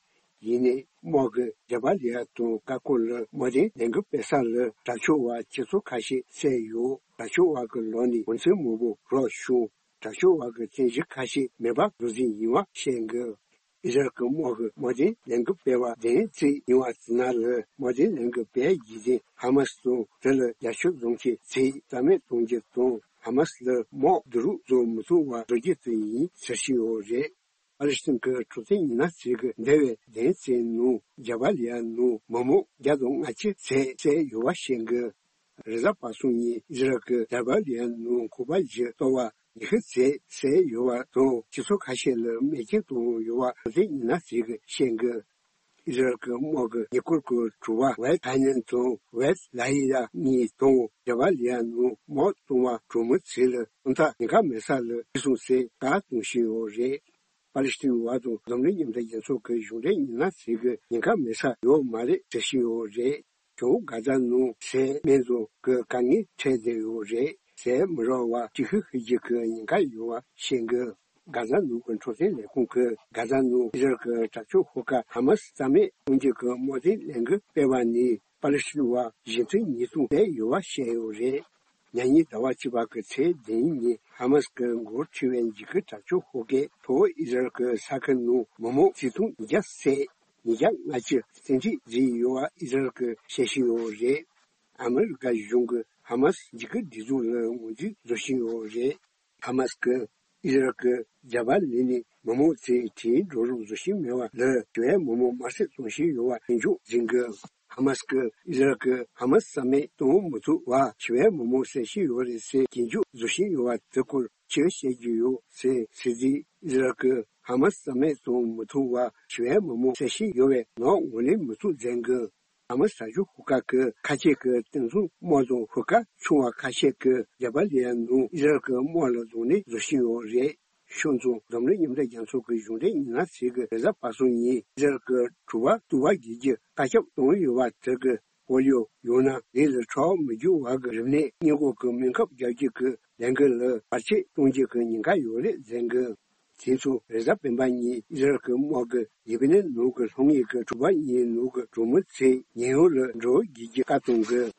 ཡིན་ནའི་དམག་གིས་ཛ་བྷ་ལི་ཡ་དང་ཀ་ཀོ་ལ་དམག་དོན་ལས་འགུལ་སྤེལ་ས་ལ་དྲག་སྤྱོད་པ་སྤྱི་ཚོགས་ཁ་ཤས་བསད་ཡོད། དྲག་སྤྱོད་པ་གི་ལག་ནས་གོ་མཚོན་མང་པོ་རག་བྱུང་། དྲག་སྤྱོད་པ་གི་རྟེན་གཞི་ཁ་ཤས་མེ་འབར་རྡོ་རྫིང་ཡིན་པ་བཤད་འདུག་ཨི་ཟི་རལ་གྱི་དམག་གིས་དམག་དོན་ལས་འགུལ་སྤེལ་བ་བདུན་ཙམ་ཡིན་པ་དེ་ནང་ལ་དམག་དོན་ལས་འགུལ་སྤེལ་རྒྱུ་དེ་ཧ་མ་སི་དང་དེ་ལ་རྒྱབ་སྐྱོར་བཟོ་མཁན་ཚོས་རྩ་མེད་གཏོང་རྒྱུ་དང་། ཧ་མ་སི་ལ་དམག་བསྡུ་རུབ་བཟོ་མི་ཐུབ་པ་བཟོ་རྒྱུ་དེ་ཡིན་ཟེར་བཞིན་ཡོད་རེད། ཨ་རི་སྲིད་གི་འཕྲོད་བསྟེན་མི་སྣ་ཚོས་ཀྱིས་འདས་པའི་བདུན་ཙམ་ནང་ཛ་བྷ་ལི་ཡ་ནང་མི་མང་བརྒྱ་དང་ལྔ་བཅུ་ཙམ་བསད་ཡོད་པ་བཤད་འདུག་རེས་གཟའ་པ་སངས་ཉིན་ཨི་ཟི་རལ་གྱིས་ཛ་བྷ་ལི་ཡ་ནང་ཁང་པ་བཞི་གཏོར་བ་ཉི་ཤུ་ཙམ་བསད་ཡོད་པ་དང་། སྤྱི་ཚོགས་ཁ་ཤས་ལ་རྨས་སྐྱོན་བཏང་ཡོད་པ་འཕྲོད་བསྟེན་མི་སྣ་ཚོས་ཀྱིས་བཤད་འདུག་ཨི་ཟི་རལ་གྱི་དམག་གིས་ཉེ་འཁོར་གྱི་གྲུ་པ་ཝེད་ཐའི་ནན་དང་ཝེད་ལ་ཡི་ཡ་གཉིས་དང་ཛ་བྷ་ལི་ཡ་ནང་དམག་གཏོང་བ་གྲོང་མི་ཚོ་ལ་ཐོག་མཐའ་ཉེན་ཁ་མེད་ས་ལ་ཁྲིད་སོང་ཟེར་བཀའ་གཏོང་བཞིན་ཡོད་རེད། པ་ལི་སི་ཐན་བར་དུ་འཛམ་གླིང་མཉམ་འབྲེལ་རྒྱལ་ཚོགས་ཀྱི་གཞུང་འབྲེལ་མི་སྣ་ཚོས་ཀྱིས་ཉེན་ཁ་མེད་ས་ཡོད་མ་རེད་ཟེར་བཞིན་ཡོད་རེད། བྱང་གྷ་ཛ་ནང་བསད་རྨས་བཟོ་གི་དཀའ་ངལ་འཕྲད་བསྡད་ཡོད་རེད། བསད་མི་རག་པ་གཅིག་ཤོས་ཤོས་ཀྱི་ཉེན་ཁ་ཡོད་པ་བཤད་འདུག་གྷ་ཛ་ནང་གི་འཕྲོད་བསྟེན་ལས་ཁུངས་ཀྱིས་གྷ་ཛ་ནང་ཨི་ཟི་རལ་གྱི་དྲག་སྤྱོད་ཤོག་ཁག་ཧ་མ་སི་རྩ་མེད་གཏོང་རྒྱུ་གི་དམག་དོན་ལས་འགུལ་སྤེལ་བ་ནས་པ་ལི་སི་ཐན་བ་བཞི་ཚེག་ཉིས་སྟོང་བསད་ཡོད་པ་བཤད་ཡོད་རེད། ཉེ་ཉིན་ཟླ་བ་བཅུ་པ་གི་ཚེས་བདུན་ཉིན་ཧ་མ་སི་གི་འགོ་ཁྲིད་པའི་འཇིགས་སྐུལ་དྲག་སྤྱོད་ཤོག་ཁག་གིས་ལྷོ་ཨི་ཟི་རལ་གྱི་ས་ཁུལ་ནང་མི་མང་ཆིག་སྟོང་ཉིས་བརྒྱ་བསད། ཉིས་བརྒྱ་ལྔ་བཅུ་བཙན་ཁྲིད་བཟོས་ཡོད་པ་ཨི་ཟི་རལ་གྱིས་བཤད་བཞིན་ཡོད་རེད། ཨ་མི་རི་ཀ་གཞུང་གིས་ཧ་མ་སི་འཇིགས་སྐུལ་སྒྲིག་འཛུགས་ལ་ངོས་འཛིན་བཟོ་བཞིན་ཡོད་རེད། ཧ་མ་སི་གིས་ཨི་ཟི་རལ་གྱིས་ཛ་བྷ་ལི་ནས་མི་མང་ཚོས་བྲོས་འགྲོ་རོགས་བཟོ་བཞིན་མེད་པ་ལ་ཞི་བའི་མི་མང་དམར་གསོད་གཏོང་བཞིན་ཡོད་པ་གྱེན་འཇོག་འཛིན་དགོས། ཧ་མ་སི་གིས་ཨི་ཟི་རལ་གྱིས་ཧ་མ་སི་རྩ་མེད་གཏོང་མི་ཐུབ་པར་ཞི་བའི་མི་མང་བསད་བཞིན་ཡོད་རེད་ཟེར་གྱེན་འཇོག་བཟོ་བཞིན་ཡོད་པ་དེ་སྐོར་ཅི་བཤད་རྒྱུ་ཡོད་ཟེར་ཟེར་དུས། ཨི་ཟི་རལ་གྱིས་ཧ་མ་སི་རྩ་མེད་གཏོང་མི་ཐུབ་པར་ཞི་བའི་མི་མང་བསད་བཞིན་ཡོད་པའི་ནག་ངོས་ལེན་མི་ཐུབ་མཛད་འདུག་ཧ་མ་སི་དྲག་སྤྱོད་ཤོག་ཁག་གིས་ཁ་ཆེ་གི་དེང་སང་དམག་དང་ཤོག་ཁག་ཆུང་བ་ཁ་ཤས་ཀྱིས་ཛ་བྷ་ལི་ཡ་ནང་ཨི་ཟི་རལ་གྱི་དམག་ལ་གདོང་ལེན་བཟོ་བཞིན་ཡོད་རེད། ཤོག་ཚོང་འཛམ་གླིང་མཉམ་འབྲེལ་རྒྱལ་ཚོགས་ཀྱི་གཞུང་འབྲེལ་མི་སྣ་ཚོས་ཀྱིས་རེས་གཟའ་པ་སངས་ཉིན་ཨི་ཟི་རལ་གྱི་གྲུ་པ་གཏོར་བར་བརྒྱུད་རྒྱུ་བཀའ་ཁྱབ་བཏང་ཡོད་པ་དེ་གི་སྐོར་ཡང་། ཡང་ན་ལས་ལ་ཁྲག་མི་འཇུ་བ་གི་རིམས་ནད་སྔོན་འགོག་གི་སྨན་ཁབ་རྒྱག་རྒྱུ་གི་ལས་འགུལ་ལ་བར་ཆད་གཏོང་རྒྱུ་གི་ཉེན་ཁ་ཡོད་རེད་ཟེར་གི། དེ་ཚོ་རེས་གཟའ་སྤེན་པ་ཉིན་ཨི་ཟི་རལ་གྱི་དམག་གིས་ལེ་བྷ་ནན་ནང་གི་ལྷོ་ངོས་ཀྱི་གྲུ་པ་གཉིས་ནང་གི་གྲོང་མི་ཚོའི་ཉེན་གཡོལ་ལ་འགྲོ་བར་བརྒྱུད་རྒྱུའི་བཀའ་གཏོང་གི།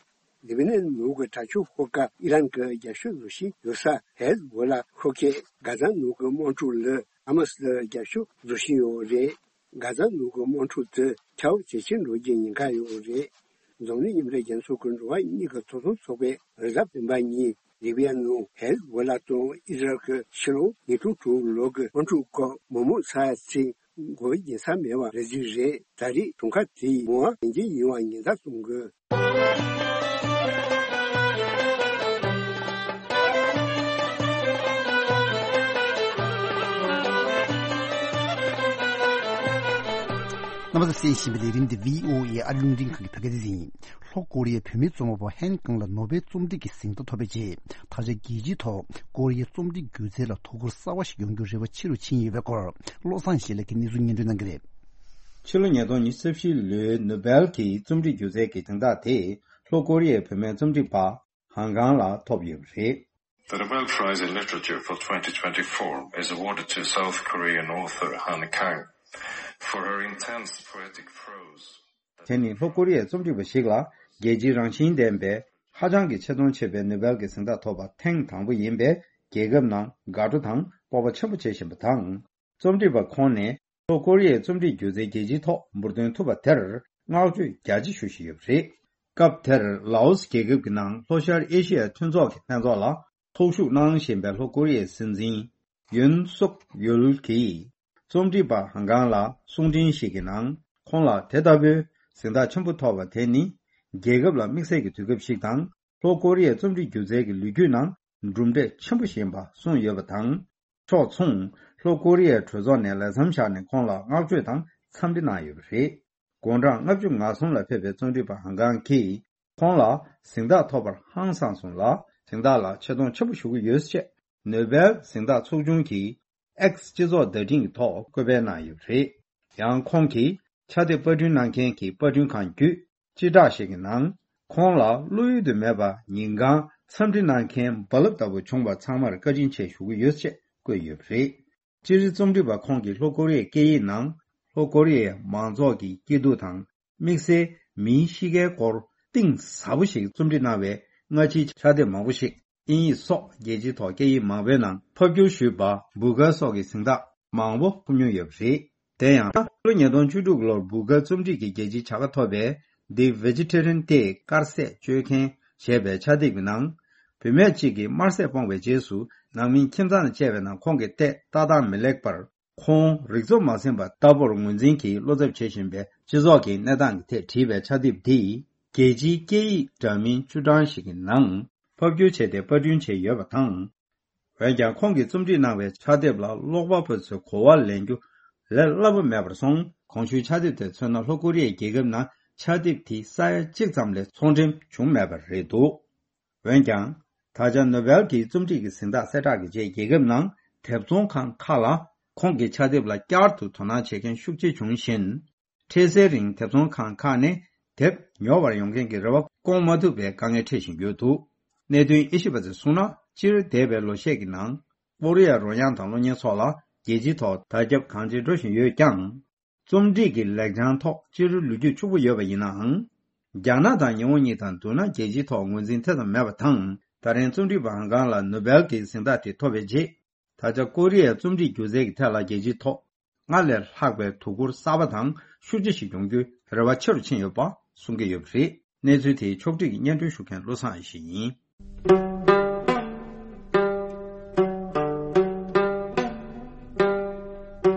ལི་བི་ནན་ནང་གི་དྲག་སྤྱོད་ཤོག་ཁག་ཨི་རན་གྱི་རྒྱབ་སྐྱོར་བཟོ་བཞིན་ཡོད་ས་ཧེ་ཟ་བྷོ་ལ་ཤོག་ཁག་གྷ་ཛ་ནང་གི་དམག་འཁྲུག་ལ་ཧ་མ་སི་ལ་རྒྱབ་སྐྱོར་བཟོ་བཞིན་ཡོད་རེད། གྷ་ཛ་ནང་གི་དམག་འཁྲུག་དེ་ཁྱབ་ཇེ་ཆེར་འགྲོ་རྒྱུའི་ཉེན་ཁ་ཡོད་རེད། འཛམ་གླིང་མཉམ་འབྲེལ་རྒྱལ་ཚོགས་ཀྱི་འགྲོ་བ་མིའི་ཐོབ་ཐང་ཚོགས་པས་རེས་གཟའ་སྤེན་པ་ཉིན་ལི་བི་ཡ་ནང་ཧེ་ཟ་བྷོ་ལ་དང་ཨི་ཟ་རལ་གྱི་ཕྱི་ལོ་ཉིས་སྟོང་དྲུག་ལོ་གི་དམག་འཁྲུག་སྐབས་མི་མང་ཚང་ཚིག་མགོ་འགྱིང་ས་མེད་པ་རེད་ཀྱི་རེད། ད་རེས་གྲོང་ཁྱེར་དེའི་མི་དབང་བདེན་རྒྱུ་ཡིན་པ་ཉེན་བརྡ་གཏོང་དགོས། རྣམ་པ་ཚོས་གསན་བཞིན་པའི་ལས་རིམ་འདི་བྷི་ཨོ་ཨེ་ཨ་རི་རླུང་འཕྲིན་ཁང་གི་བོད་སྐད་སྡེ་ཚན་ཡིན། ལྷོ་ཀོ་རི་ཡའི་བུད་མེད་རྩོམ་པ་པོ་ཧན་ཀང་ལ་ནོ་བེལ་རྩོམ་སྒྲིག་གི་གཟེངས་རྟགས་ཐོབ་པའི་རྗེས། ད་ཆ་རྒྱལ་སྤྱིའི་ཐོག་ཀོ་རི་ཡའི་རྩོམ་སྒྲིག་སྒྱུ་རྩལ་ལ་དོ་ཁུར་གསར་བ་ཞིག་ཡོང་རྒྱུའི་རེ་བ་ཆེ་རུ་ཕྱིན་ཡོད་པའི་སྐོར། བློ་བཟང་ཡེ་ཤེས་ལགས་ཀྱིས་གནས་ཚུལ་སྙན་སྒྲོན་གནང་གི་རེད། ཕྱི་ལོ་ཉིས་སྟོང་ཉི་ཤུ་རྩ་བཞི་ལོའི་ནོ་བེལ་གྱི་རྩོམ་སྒྲིག་སྒྱུ་རྩལ་གྱི་གཟེངས་རྟགས་དེ་ལྷོ་ཀོ་རི་ཡའི་བུད་མེད་རྩོམ་སྒྲིག་པ་ཧན་ཀང་ལ་ཐོབ་ཡོད་པ་རེད། The Nobel Prize in Literature for twenty twenty-four is awarded to South Korean author Han Kang for her intense poetic prose. དེ་ནི་ལྷོ་ཀོ་རི་ཡའི་རྩོམ་སྒྲིག་པ་ཞིག་ལ་རྒྱལ་སྤྱིའི་རང་བཞིན་ལྡན་པའི་ཧ་ཅང་གི་ཆེ་མཐོང་ཆེ་བའི་ནོ་བེལ་གྱི་གཟེངས་རྟགས་ཐོབ་པ་ཐེངས་དང་པོ་ཡིན་པས། རྒྱལ་ཁབ་ནང་དགའ་སྤྲོ་དང་སྤོབས་པ་ཆེན་པོ་བྱེད་བཞིན་པ་དང་། རྩོམ་སྒྲིག་པ་ཁོང་ནས་ལྷོ་ཀོ་རི་ཡའི་རྩོམ་སྒྲིག་སྒྱུ་རྩལ་རྒྱལ་སྤྱིའི་ཐོག་འབུར་ཐོན་ཐུབ་པ་དེར་བསྔགས་བརྗོད་རྒྱ་ཆེ་ཞུ་བཞིན་ཡོད་པ་རེད། སྐབས་དེར་ལའོ་སི་རྒྱལ་ཁབ་ཀྱི་ནང་ལྷོ་ཤར་ཨེ་ཤི་ཡའི་མཐུན་ཚོགས་ཀྱི་ལྷན་ཚོགས་ལ་ཚོགས་ཞུགས་གནང་བཞིན་པའི་ལྷོ་ཀོ་རི་ཡའི་སྲིད་འཛིན་ཡོན་སུག་ཡོལ་གྱིས། རྩོམ་སྒྲིག་པ་ཧན་ཀང་ལ་གསུང་འཕྲིན་ཞིག་གི་ནང་ཁོང་ལ་དེ་ལྟ་བུའི་གཟེངས་རྟགས་ཆེན་པོ་ཐོབ་པ་དེ་ནི་རྒྱལ་ཁབ་ལ་དམིགས་བསལ་གྱི་དུས་སྐབས་ཤིག་དང་། ལྷོ་ཀོ་རི་ཡའི་རྩོམ་སྒྲིག་སྒྱུ་རྩལ་གྱི་ལོ་རྒྱུས་ནང་གྲུབ་འབྲས་ཆེན་པོ་ཞིག་ཡིན་པ་གསུངས་ཡོད་པ་དང་། ཕྱོགས་མཚུངས་ལྷོ་ཀོ་རི་ཡའི་གྲོས་ཚོགས་ནས་ལས་མཚམས་བཞག་ནས་ཁོང་ལ་བསྔགས་བརྗོད་དང་འཚམས་འདྲི་གནང་ཡོད་པ་རེད། དགུང་གྲངས་ལྔ་བཅུ་ང་གསུམ་ལ་ཕེབས་པའི་རྩོམ་སྒྲིག་པ་ཧན་ཀང་གིས་ཁོང་ལ་གཟེངས་རྟགས་ཐོབ་པར་ཧང་སངས་སོང་ལ། གཟེངས་རྟགས་ལ་ཆེ་མཐོང་ཆེན་པོ་ཞུ་གི་ཡོད་ཅེས་ནོ་བེལ་གཟེངས་རྟགས་ཚོགས་ཆུང་གི་X་སྤྱི་ཚོགས་བརྡ་འཕྲིན་གྱི་ཐོག་བཀོད་སྤེལ་གནང་ཡོད་པ་རེད། ཡང་ཁོང་གིས་ཕྱག་དེབ་པར་སྐྲུན་གནང་མཁན་གྱི་པར་སྐྲུན་ཁང་བརྒྱུད་སྤྱི་བསྒྲགས་ཤིག་གི་ནང་། ཁོང་ལ་བློ་ཡུལ་དུ་མེད་པ་ཉིན་གང་འཚམས་འདྲི་གནང་མཁན་རྦ་རླབས་ལྟ་བུ་བྱུང་བ་ཚང་མར་བཀའ་དྲིན་ཆེ་ཞུ་གི་ཡོད་ཅེས་བཀོད་ཡོད་པ་རེད། སྤྱིར་རྩོམ་སྒྲིག་པ་ཁོང་གིས་ལྷོ་ཀོ་རི་ཡའི་སྐད་ཡིག་ནང་ལྷོ་ཀོ་རི་ཡའི་མང་ཚོགས་ཀྱི་སྐྱིད་སྡུག་དང་དམིགས་བསལ་མིའི་གཤིས་ཀའི་སྐོར་གཏིང་ཟབ་པོ་ཞིག་རྩོམ་སྒྲིག་གནང་བའི་སྔ་ཕྱིའི་ཕྱག་དེབ་མང་པོ་ཞིག་དབྱིན་ཡིག་སོགས་རྒྱལ་སྤྱིའི་ཐོག་སྐད་ཡིག་མང་པོའི་ནང་ཕབ་བསྒྱུར་ཞུས་པ་བུ་གར་སོགས་ཀྱི་གཟེངས་རྟགས་མང་པོ་ཐོབ་མྱོང་ཡོད་པ་རེད། དེ་ཡང་ཕྱི་ལོ་ཉིས་སྟོང་བཅུ་དྲུག་ལོར་བུ་གར་རྩོམ་སྒྲིག་གི་རྒྱལ་སྤྱིའི་བྱ་དགའ་ཐོབ་པའི་The Vegetarian Day དཀར་ཟས་སྤྱོད་མཁན་ཞེས་པའི་ཕྱག་དེབ་ཀྱི་ནང་། བུད་མེད་ཅིག་གིས་དམར་ཟས་སྤོང་བའི་རྗེས་སུ་ནང་མིའི་ཁྱིམ་ཚང་ལ་བཅར་བའི་ནང་ཁོང་གི་ལྟས་ལྟ་སྟངས་མི་ལེགས་པར། ཁོང་རིག་འཚོ་མ་ཟིན་པ་ལྟ་བུར་ངོས་འཛིན་གྱིས་བློ་འཚབ་བྱེད་བཞིན་པའི་སྤྱི་ཚོགས་ཀྱི་གནས་སྟངས་ཀྱི་ཐད་བྲིས་པའི་ཕྱག་དེབ་འདིས་རྒྱལ་སྤྱིའི་སྐད་ཡིག་འདྲ་མིན་བཅུ་གྲངས་ཤིག་གི་ནང་ཕབ་བསྒྱུར་བྱས་ཏེ་པར་སྐྲུན་བྱས་ཡོད་པ་དང་། འོན་ཀྱང་ཁོང་གིས་རྩོམ་སྒྲིག་གནང་བའི་ཕྱག་དེབ་ལ་ཀློག་པ་པོ་ཚོས་གོ་བ་ལེན་རྒྱུ་ལས་སླ་པོ་མེད་པར་སོང་། གོང་ཞུས་ཕྱག་དེབ་དེར་མཚོན་ན་ལྷོ་ཀོ་རི་ཡའི་རྒྱལ་ཁབ་ནང་ཕྱག་དེབ་དེའི་ས་ཡ་གཅིག་ཙམ་ལས་ཚོང་འགྲེམས་བྱུང་མེད་པ་རེད་འདུག་འོན་ཀྱང་། ད་ཆ་ནོ་བེལ་གྱི་རྩོམ་སྒྲིག་གི་གཟེངས་རྟགས་གསལ་བསྒྲགས་ཀྱི་རྗེས་རྒྱལ་ཁབ་ནང་དེབ་ཚོང་ཁང་ཁག་ལ་ཁོང་གི་ཕྱག་དེབ་ལ་བསྐྱར་དུ་དོ་སྣང་བྱེད་མཁན་ཤུགས་ཆེ་བྱུང་བཞིན། འཕྲལ་སེལ་རིང་དེབ་ཚོང་ཁང་ཁག་ནས་དེབ་ཉོ་བར་ཡོང་མཁན་གྱི་རེ་བ་སྐོང་མ་ཐུབ་པའི་དཀའ་ངལ་འཕྲད་བཞིན་ཡོད་འདུག་གནད་དོན་དབྱེ་ཞིབ་པ་ཚོས་གསུངས་ན། སྤྱིར་འདས་པའི་ལོ་ཤས་ཀྱི་ནང་། ཀོ་རི་ཡ་རོལ་དབྱངས་དང་གློག་བརྙན་སོགས་ལ་རྒྱལ་སྤྱིའི་ཐོག་དར་ཁྱབ་གང་ཆེ་འགྲོ་བཞིན་ཡོད་ཀྱང་། རྩོམ་སྒྲིག་གི་ལེགས་བྱང་ཐོག་སྤྱིར་ལོ་རྒྱུས་ཕྱུག་པོ་ཡོད་པ་ཡིན་ནའང་། རྒྱ་ནག་དང་ཉི་ཧོང་གཉིས་དང་བསྡུར་ན་རྒྱལ་སྤྱིའི་ཐོག་ངོས་འཛིན་དེ་ཙམ་མེད་པ་དང་། ད་རིང་རྩོམ་སྒྲིག་པ་ཧན་ཀང་ལ་ནོ་བེལ་གྱི་གཟེངས་རྟགས་དེ་ཐོབ་པའི་རྗེས། ད་ཆ་ཀོ་རི་ཡའི་རྩོམ་སྒྲིག་སྒྱུ་རྩལ་གྱི་ཐད་ལ་རྒྱལ་སྤྱིའི་ཐོག་སྔར་ལས་ལྷག་པའི་དོ་ཁུར་གསར་པ་དང་ཤུགས་ཆེ་ཞིག་ཡོང་རྒྱུའི་རེ་བ་ཆེ་རུ་ཕྱིན་ཡོད་པ་གསུང་གི་ཡོད་པ་རེད། གནས་ཚུལ་དེའི་ཕྱོགས་བསྒྲིགས་སྙན་སྒྲོན་ཞུ་མཁན་བློ་བཟང་ཡེ་ཤེས་ཡིན།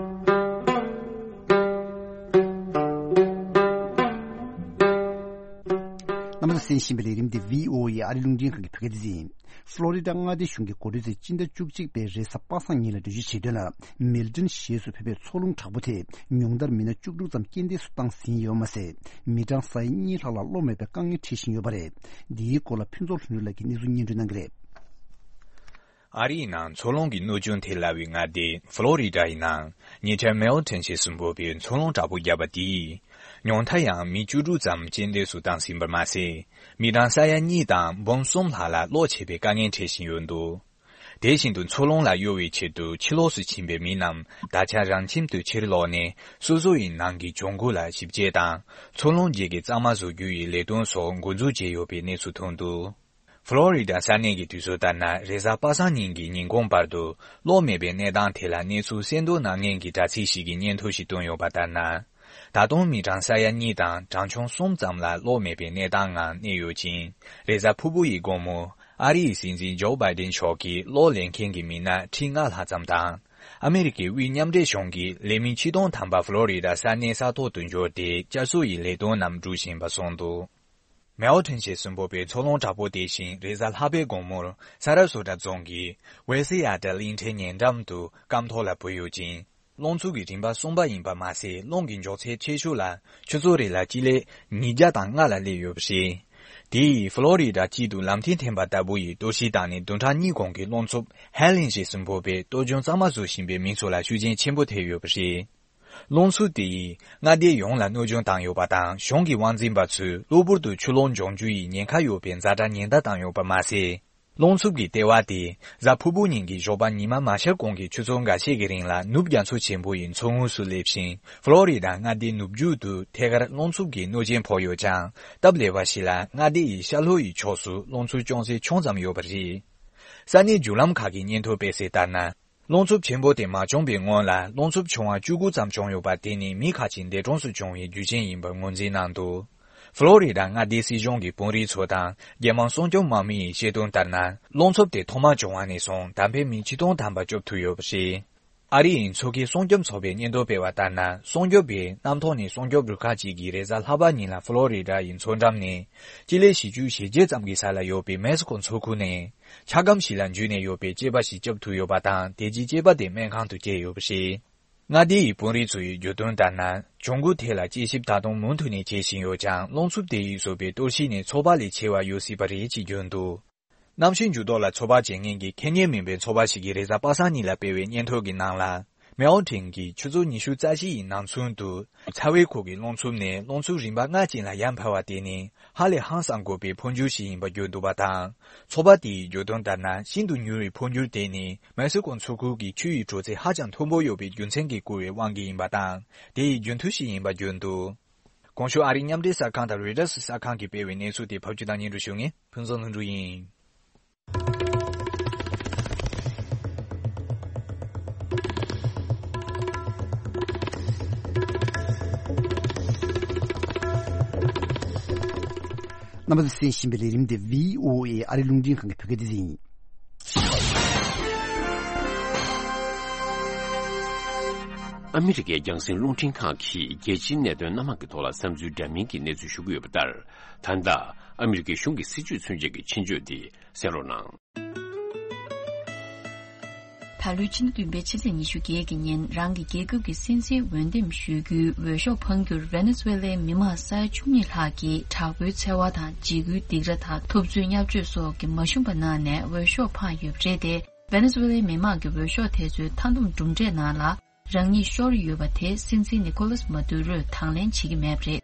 རྣམ་པ་ཚོས་གསན་བཞིན་པའི་ལས་རིམ་འདི་བྷི་ཨོ་ཨེ་ཨ་རི་རླུང་འཕྲིན་ཁང་གི་བོད་སྐད་སྡེ་ཚན་ཡིན། ཕློ་རི་ཌ་མངའ་སྡེ་གཞུང་གིས་འགོ་ཁྲིད་ཚོས་སྤྱི་ཟླ་བཅུ་གཅིག་པའི་རེས་གཟའ་པ་སངས་ཉིན་ལ་འགྲེལ་བརྗོད་བྱེད་དོན་ལ། མེལ་ཏོན་གཞིས་སུ་ཕེབས་པའི་འཚོ་རླུང་དྲག་པོ་དེས་ཉུང་མཐར་མི་སྣ་བཅུ་དྲུག་ཙམ་རྐྱེན་འདས་སུ་བཏང་ཟིན་ཡོད་མ་ཟད། མི་གྲངས་ས་ཡ་གཉིས་ལྷག་ལ་གློ་མེད་པའི་དཀའ་ངལ་འཕྲད་བཞིན་ཡོད་པ་རེད། འདིའི་སྐོར་ལ་ཕུན་ཚོགས་ལྷུན་གྲུབ་ལགས་ཀྱིས་གནས་ཚུལ་སྙན་སྒྲོན་གནང་གི་རེད། ཨ་རིའི་ནང་འཚོ་རླུང་གི་གནོད་སྐྱོན་ཐེབས་སླ་བའི་མངའ་སྡེ་ཕློ་རི་ཌ་ཡི་ནང་ཉེ་ཆར་མེལ་ཏོན་གཞིས་སུ་འབབ་པའི་འཚོ་རླུང་དྲག་པོ་བརྒྱབ་པ་དེས། ཉུང་མཐར་ཡང་མི་བཅུ་དྲུག་ཙམ་རྐྱེན་འདས་སུ་བཏང་ཟིན་པར་མ་ཟད། མི་གྲངས་ས་ཡ་གཉིས་དང་འབུམ་གསུམ་ལྷག་ལ་གློ་ཆད་པའི་དཀའ་ངལ་འཕྲད་བཞིན་ཡོད་འདུག་དེ་བཞིན་དུ་མཚོ་རླུང་ལ་གཡོལ་བའི་ཆེད་དུ་ཕྱི་ལོགས་སུ་ཕྱིན་པའི་མི་རྣམས་ད་ཆ་རང་ཁྱིམ་དུ་ཕྱིར་ལོག་ནས་སོ་སོ་ཡི་ནང་གི་གྱོང་གུན་ལ་ཞིབ་དཔྱད་དང་མཚོ་རླུང་རྗེས་ཀྱི་གཙང་མ་བཟོ་རྒྱུ་ཡི་ལས་དོན་སོགས་འགོ་འཛུགས་བྱས་ཡོད་པའི་གནས་ཚུལ་ཐོན་འདུག། ཕློ་རི་ཌ་ས་གནས་ཀྱི་དུས་ཚོད་ལྟར་ན་རེས་གཟའ་པ་སངས་ཉིན་གྱི་ཉིན་གུང་བར་དུ་གློག་མེད་པའི་གནས་སྟངས་ཐད་ལ་གནས་ཚུལ་གསལ་འདོན་གནང་མཁན་གྱི་དྲ་ཚིགས་ཤིག་གིས་སྙན་ཐོ་ཞིག་བཏོན་ཡོད་པ་ལྟར་ན། ད་དུང་མི་གྲངས་ས་ཡ་གཉིས་དང་གྲངས་ཆུང་གསུམ་ཙམ་ལ་གློག་མེད་པའི་གནས་སྟངས་ངང་གནས་ཡོད་ཅིང་། རེས་གཟའ་ཕུར་བུ་ཡི་དགོང་མོ་ཨ་རི་ཡི་སྲིད་འཛིན་ཇོ་བྷའི་ཌེན་མཆོག་གིས་གློག་ལེན་མཁན་གྱི་མི་སྣ་ཁྲི་ལྔ་ལྷག་ཙམ་དང་། ཨ་མེ་རི་ཀའི་དབུས་མཉམ་འབྲེལ་གཞུང་གིས་ལས་མི་ཆིག་སྟོང་ཐམ་པ་ཕློ་རི་ཌ་ས་གནས་ས་ཐོག་ཏུ་འབྱོར་ཏེ་བསྐྱར་གསོ་ཡི་ལས་དོན་རྣམས་སྒྲུབ་བཞིན་པ་གསུངས་འདུག། མེའོ་ཁྲེན་ཞེས་སུ་འབོད་པའི་མཚོ་རླུང་དྲག་པོ་དེ་བཞིན་རེས་གཟའ་ལྷག་པའི་དགོང་མོར་ས་ར་སོ་ཏྲ་རྫོང་གི་ཝེ་སི་ཡ་ཏྲ་གླིང་ཕྲན་ཉེ་འགྲམ་དུ་སྐམ་ཐོག་ལ་བུད་ཡོད་ཅིང་། རླུང་འཚུབ་ཀྱི་རིམ་པ་གསུམ་པ་ཡིན་པ་མ་ཟད། རླུང་གི་མགྱོགས་ཚད་ཆེ་ཤོས་ལ་ཆུ་ཚོད་རེ་ལ་སྤྱི་ལེ་ཉིས་བརྒྱ་དང་ལྔ་ལ་སླེབས་ཡོད་པ་རེད། དེ་ཡིས་ཕློ་རི་ཌ་སྤྱི་དུ་ལམ་ཐིག་འཐེན་པ་ལྟ་བུ་ཡི་གཏོར་བཤིག་བཏང་ནས་བདུན་ཕྲག་གཉིས་གོང་གི་རླུང་འཚུབ་ཧེ་ལིན་ཞེས་སུ་འབོད་པའི་གཏོར་སྐྱོན་གཙང་མ་བཟོ་བཞིན་པའི་མི་ཚོ་ལ་ཤུགས་རྐྱེན་ཆེན་པོ་ཐེབས་ཡོད་པ་རེད། རླུང་འཚུབ་དེ་ཡིས་མངའ་སྡེ་ཡོངས་ལ་གནོད་སྐྱོན་བཏང་ཡོད་པ་དང་། གཞུང་གི་དབང་འཛིན་པ་ཚོས་གློ་བུར་དུ་ཆུ་ལོག་འབྱུང་རྒྱུ་ཡི་ཉེན་ཁ་ཡོད་པའི་ཛ་དྲག་ཉེན་བརྡ་བཏང་ཡོད་པ་མ་ཟད། རླུང་འཚུབ་ཀྱི་ལྟེ་བ་དེ་གཟའ་ཕུར་བུ་ཉིན་གྱི་ཞོགས་པ་ཉི་མ་མ་ཤར་གོང་གི་ཆུ་ཚོད་འགའ་ཤས་ཀྱི་རིང་ལ་ནུབ་རྒྱ་མཚོ་ཆེན་པོ་ཡི་མཚོ་ངོས་སུ་སླེབས་ཤིང་། ཕློ་རི་ཌ་མངའ་སྡེའི་ནུབ་རྒྱུད་དུ་ཐད་ཀར་རླུང་འཚུབ་ཀྱི་གནོད་རྐྱེན་ཕོག་ཡོད་ཀྱང་། སྟབས་ལེགས་པ་ཞིག་ལ་མངའ་སྡེ་ཡི་ཤར་ལྷོ་ཡི་ཕྱོགས་སུ་རླུང་འཚུབ་ཅུང་ཟད་ཆུང་ཙམ་ཡོད་པ་རེད། ས་གནས་བརྒྱུད་ལམ་ཁག་གིས་སྙན་ཐོ་སྤེལ་གསལ་ལྟར་ན། རླུང་འཚུབ་ཆེན་པོ་དེ་མ་བྱུང་བའི་སྔོན་ལ་རླུང་འཚུབ་ཆུང་བ་བཅུ་དགུ་ཙམ་བྱུང་ཡོད་པ་དེ་ནི་མི་ཁ་ཅིག་འདས་གྲོངས་སུ་བྱུང་བའི་རྒྱུ་རྐྱེན་ཡིན་པར་ངོས་འཛིན་གནང་འདུག། ཕློ་རི་ཌ་མངའ་སྡེའི་སྲིད་གཞུང་གི་དཔོན་རིགས་ཚོ་དང་རྒྱལ་དམངས་སྲུང་སྐྱོབ་དམག་མི་ཡིས་བཤད་དོན་ལྟར་ན། རླུང་འཚུབ་དེ་ཐོག་མར་བྱུང་བ་ནས་བཟུང་ད་ཕན་མི་ཆིག་སྟོང་ཐམ་པ་སྐྱོབ་ཐུབ་ཡོད་པ་རེད། ཨ་རི་ཡི་མཚོ་ཁའི་སྲུང་སྐྱོབ་ཚོགས་པས་སྙན་ཐོ་སྤེལ་བ་ལྟར་ན། སྲུང་སྐྱོབ་པས་གནམ་ཐོག་ནས་སྲུང་སྐྱོབ་རུ་ཁག་ཅིག་གིས་རེས་གཟའ་ལྷག་པ་ཉིན་ལ་ཕློ་རི་ཌ་ཡི་མཚོ་འགྲམ་ནས་སྤྱི་ལེ་བཞི་བཅུ་ཞེ་བརྒྱད་ཙམ་གྱི་ས་ལ་ཡོད་པའི་མེག་སི་ཀོ་མཚོ་ཁུལ་ནས་འཁྱག་སྒམ་ཞིག་ལ་འཛུལ་ནས་ཡོད་པའི་སྐྱེས་པ་ཞིག་སྐྱོབ་ཐུབ་ཡོད་པ་དང་། དེ་རྗེས་སྐྱེས་པ་དེ་སྨན་ཁང་དུ་བསྐྱལ་ཡོད་པ་རེད། མངའ་སྡེ་ཡི་དཔོན་རིགས་ཚོ་ཡིས་བརྗོད་དོན་ལྟར་ན། གྱོང་གུན་ཐད་ལ་དཔྱད་ཞིབ་ད་དུང་མུ་མཐུད་ནས་བྱེད་བཞིན་ཡོད་ཀྱང་། རླུང་འཚུབ་དེ་ཡིས་བཟོས་པའི་གཏོར་བཤིག་ནི་ཚོད་དཔག་ལས་ཆེ་བ་ཡོད་སྲིད་པ་རེད་ཅེས་བརྗོད་འདུག། གནམ་གཤིས་འགྱུར་ལྡོག་ལ་ཚོད་དཔག་བྱེད་མཁན་གྱི་ཁེ་ཉེན་མིན་པའི་ཚོགས་པ་ཞིག་གིས་རེས་གཟའ་པ་སངས་ཉིན་ལ་སྤེལ་བའི་སྙན་ཐོ་གི་ནང་ལ། མེའོ་ཁྲེན་གྱིས་ཆུ་ཚོད་ཉི་ཤུ་རྩ་བཞི་ཡི་ནང་ཚུན་དུ། ཚ་བའི་ཁུག་གི་རླུང་འཚུབ་ནས་རླུང་འཚུབ་རིམ་པ་ལྔ་ཅན་ལ་ཡར་འཕར་བ་དེ་ནི་ཧ་ལས་ཧང་སང་དགོས་པའི་འཕོ་འགྱུར་ཞིག་ཡིན་པ་བརྗོད་འདུག་པ་དང་། ཚོགས་པ་དེ་ཡིས་བརྗོད་དོན་ལྟར་ན། ཤིན་ཏུ་མྱུར་བའི་འཕོ་འགྱུར་དེ་ནི་མེག་སི་ཀོ་མཚོ་ཁུལ་གྱི་ཆུ་ཡི་དྲོད་ཚད་ཧ་ཅང་མཐོན་པོ་ཡོད་པའི་རྒྱུ་མཚན་གྱིས་བསྐུལ་བའི་དབང་གིས་ཡིན་པ་དང་། དེ་ཡི་རྒྱུན་མཐུད་ཞིག་ཡིན་པ་བརྗོད་འདུག། གོང་ཞུས་ཨ་རིའི་མཉམ་འབྲེལ་གསར་ཁང་དང་རོའི་ཊར་གསར་ཁང་གིས་སྤེལ་བའི་གནས་ཚུལ་དེ་ཕབ་སྒྱུར་དང་སྙན་སྒྲོན་ཞུ་མཁན་ཕུན་ཚོགས་ལྷུན་གྲུབ་ཡིན། རྣམ་པ་ཚོས་གསན་བཞིན་པའི་ལས་རིམ་འདི་བྷི་ཨོ་ཨེ་ཨ་རི་རླུང་འཕྲིན་ཁང་གི་བོད་སྐད་སྡེ་ཚན་ཡིན། ཨ་མི་རི་ཀའི་རྒྱང་སྲིང་རླུང་འཕྲིན་ཁང་གིས་རྒྱལ་སྤྱིའི་གནད་དོན་སྣ་མང་གི་ཐོག་ལ་བསམ་ཚུལ་འདྲ་མིན་གྱི་གནས་ཚུལ་ཞུ་གི་ཡོད་པ་ལྟར། ད་ལྟ་ཨ་མི་རི་ཀའི་གཞུང་གི་སྲིད་ཇུས་མཚོན་བྱེད་ཀྱི་ཆེད་བརྗོད་འདི་གསན་རོགས་གནང་། ད་ལོའི་ཕྱི་ཟླ་བདུན་པའི་ཕྱི་ཚེས་ཉི་ཤུ་བརྒྱད་ཀྱི་ཉིན་རང་གི་རྒྱལ་ཁབ་ཀྱི་སྲིད་འཛིན་འོས་འདེམས་ཞུ་རྒྱུའི་འོས་ཤོག་འཕང་རྒྱུར་ཝེ་ནེ་ཛུ་ཝེ་ལའི་མི་མང་ས་ཡ་བཅུ་གཉིས་ལྷག་གིས་དྲག་པོའི་འཚེ་བ་དང་འཇིགས་སྐུལ་སྡིགས་ར་དང་ཐུབ་ཚོད་བརྙས་བཅོས་སོགས་ཀྱི་མ་ཞུམ་པ་གནང་ནས་འོས་ཤོག་འཕངས་ཡོད་པ་རེད་དེ། ཝེ་ནེ་ཛུ་ཝེ་ལའི་མི་མང་གིས་འོས་ཤོག་དེ་ཚོའི་མཐའ་འདོམས་གྲུབ་འབྲས་ནང་ལ་རང་ཉིད་ཤོར་ཡོད་པ་དེ་སྲིད་འཛིན་ནི་ཁོ་ལཱས་མ་དུ་རོས་དང་ལེན་བྱེད་ཀྱི་མེད་པ་རེད།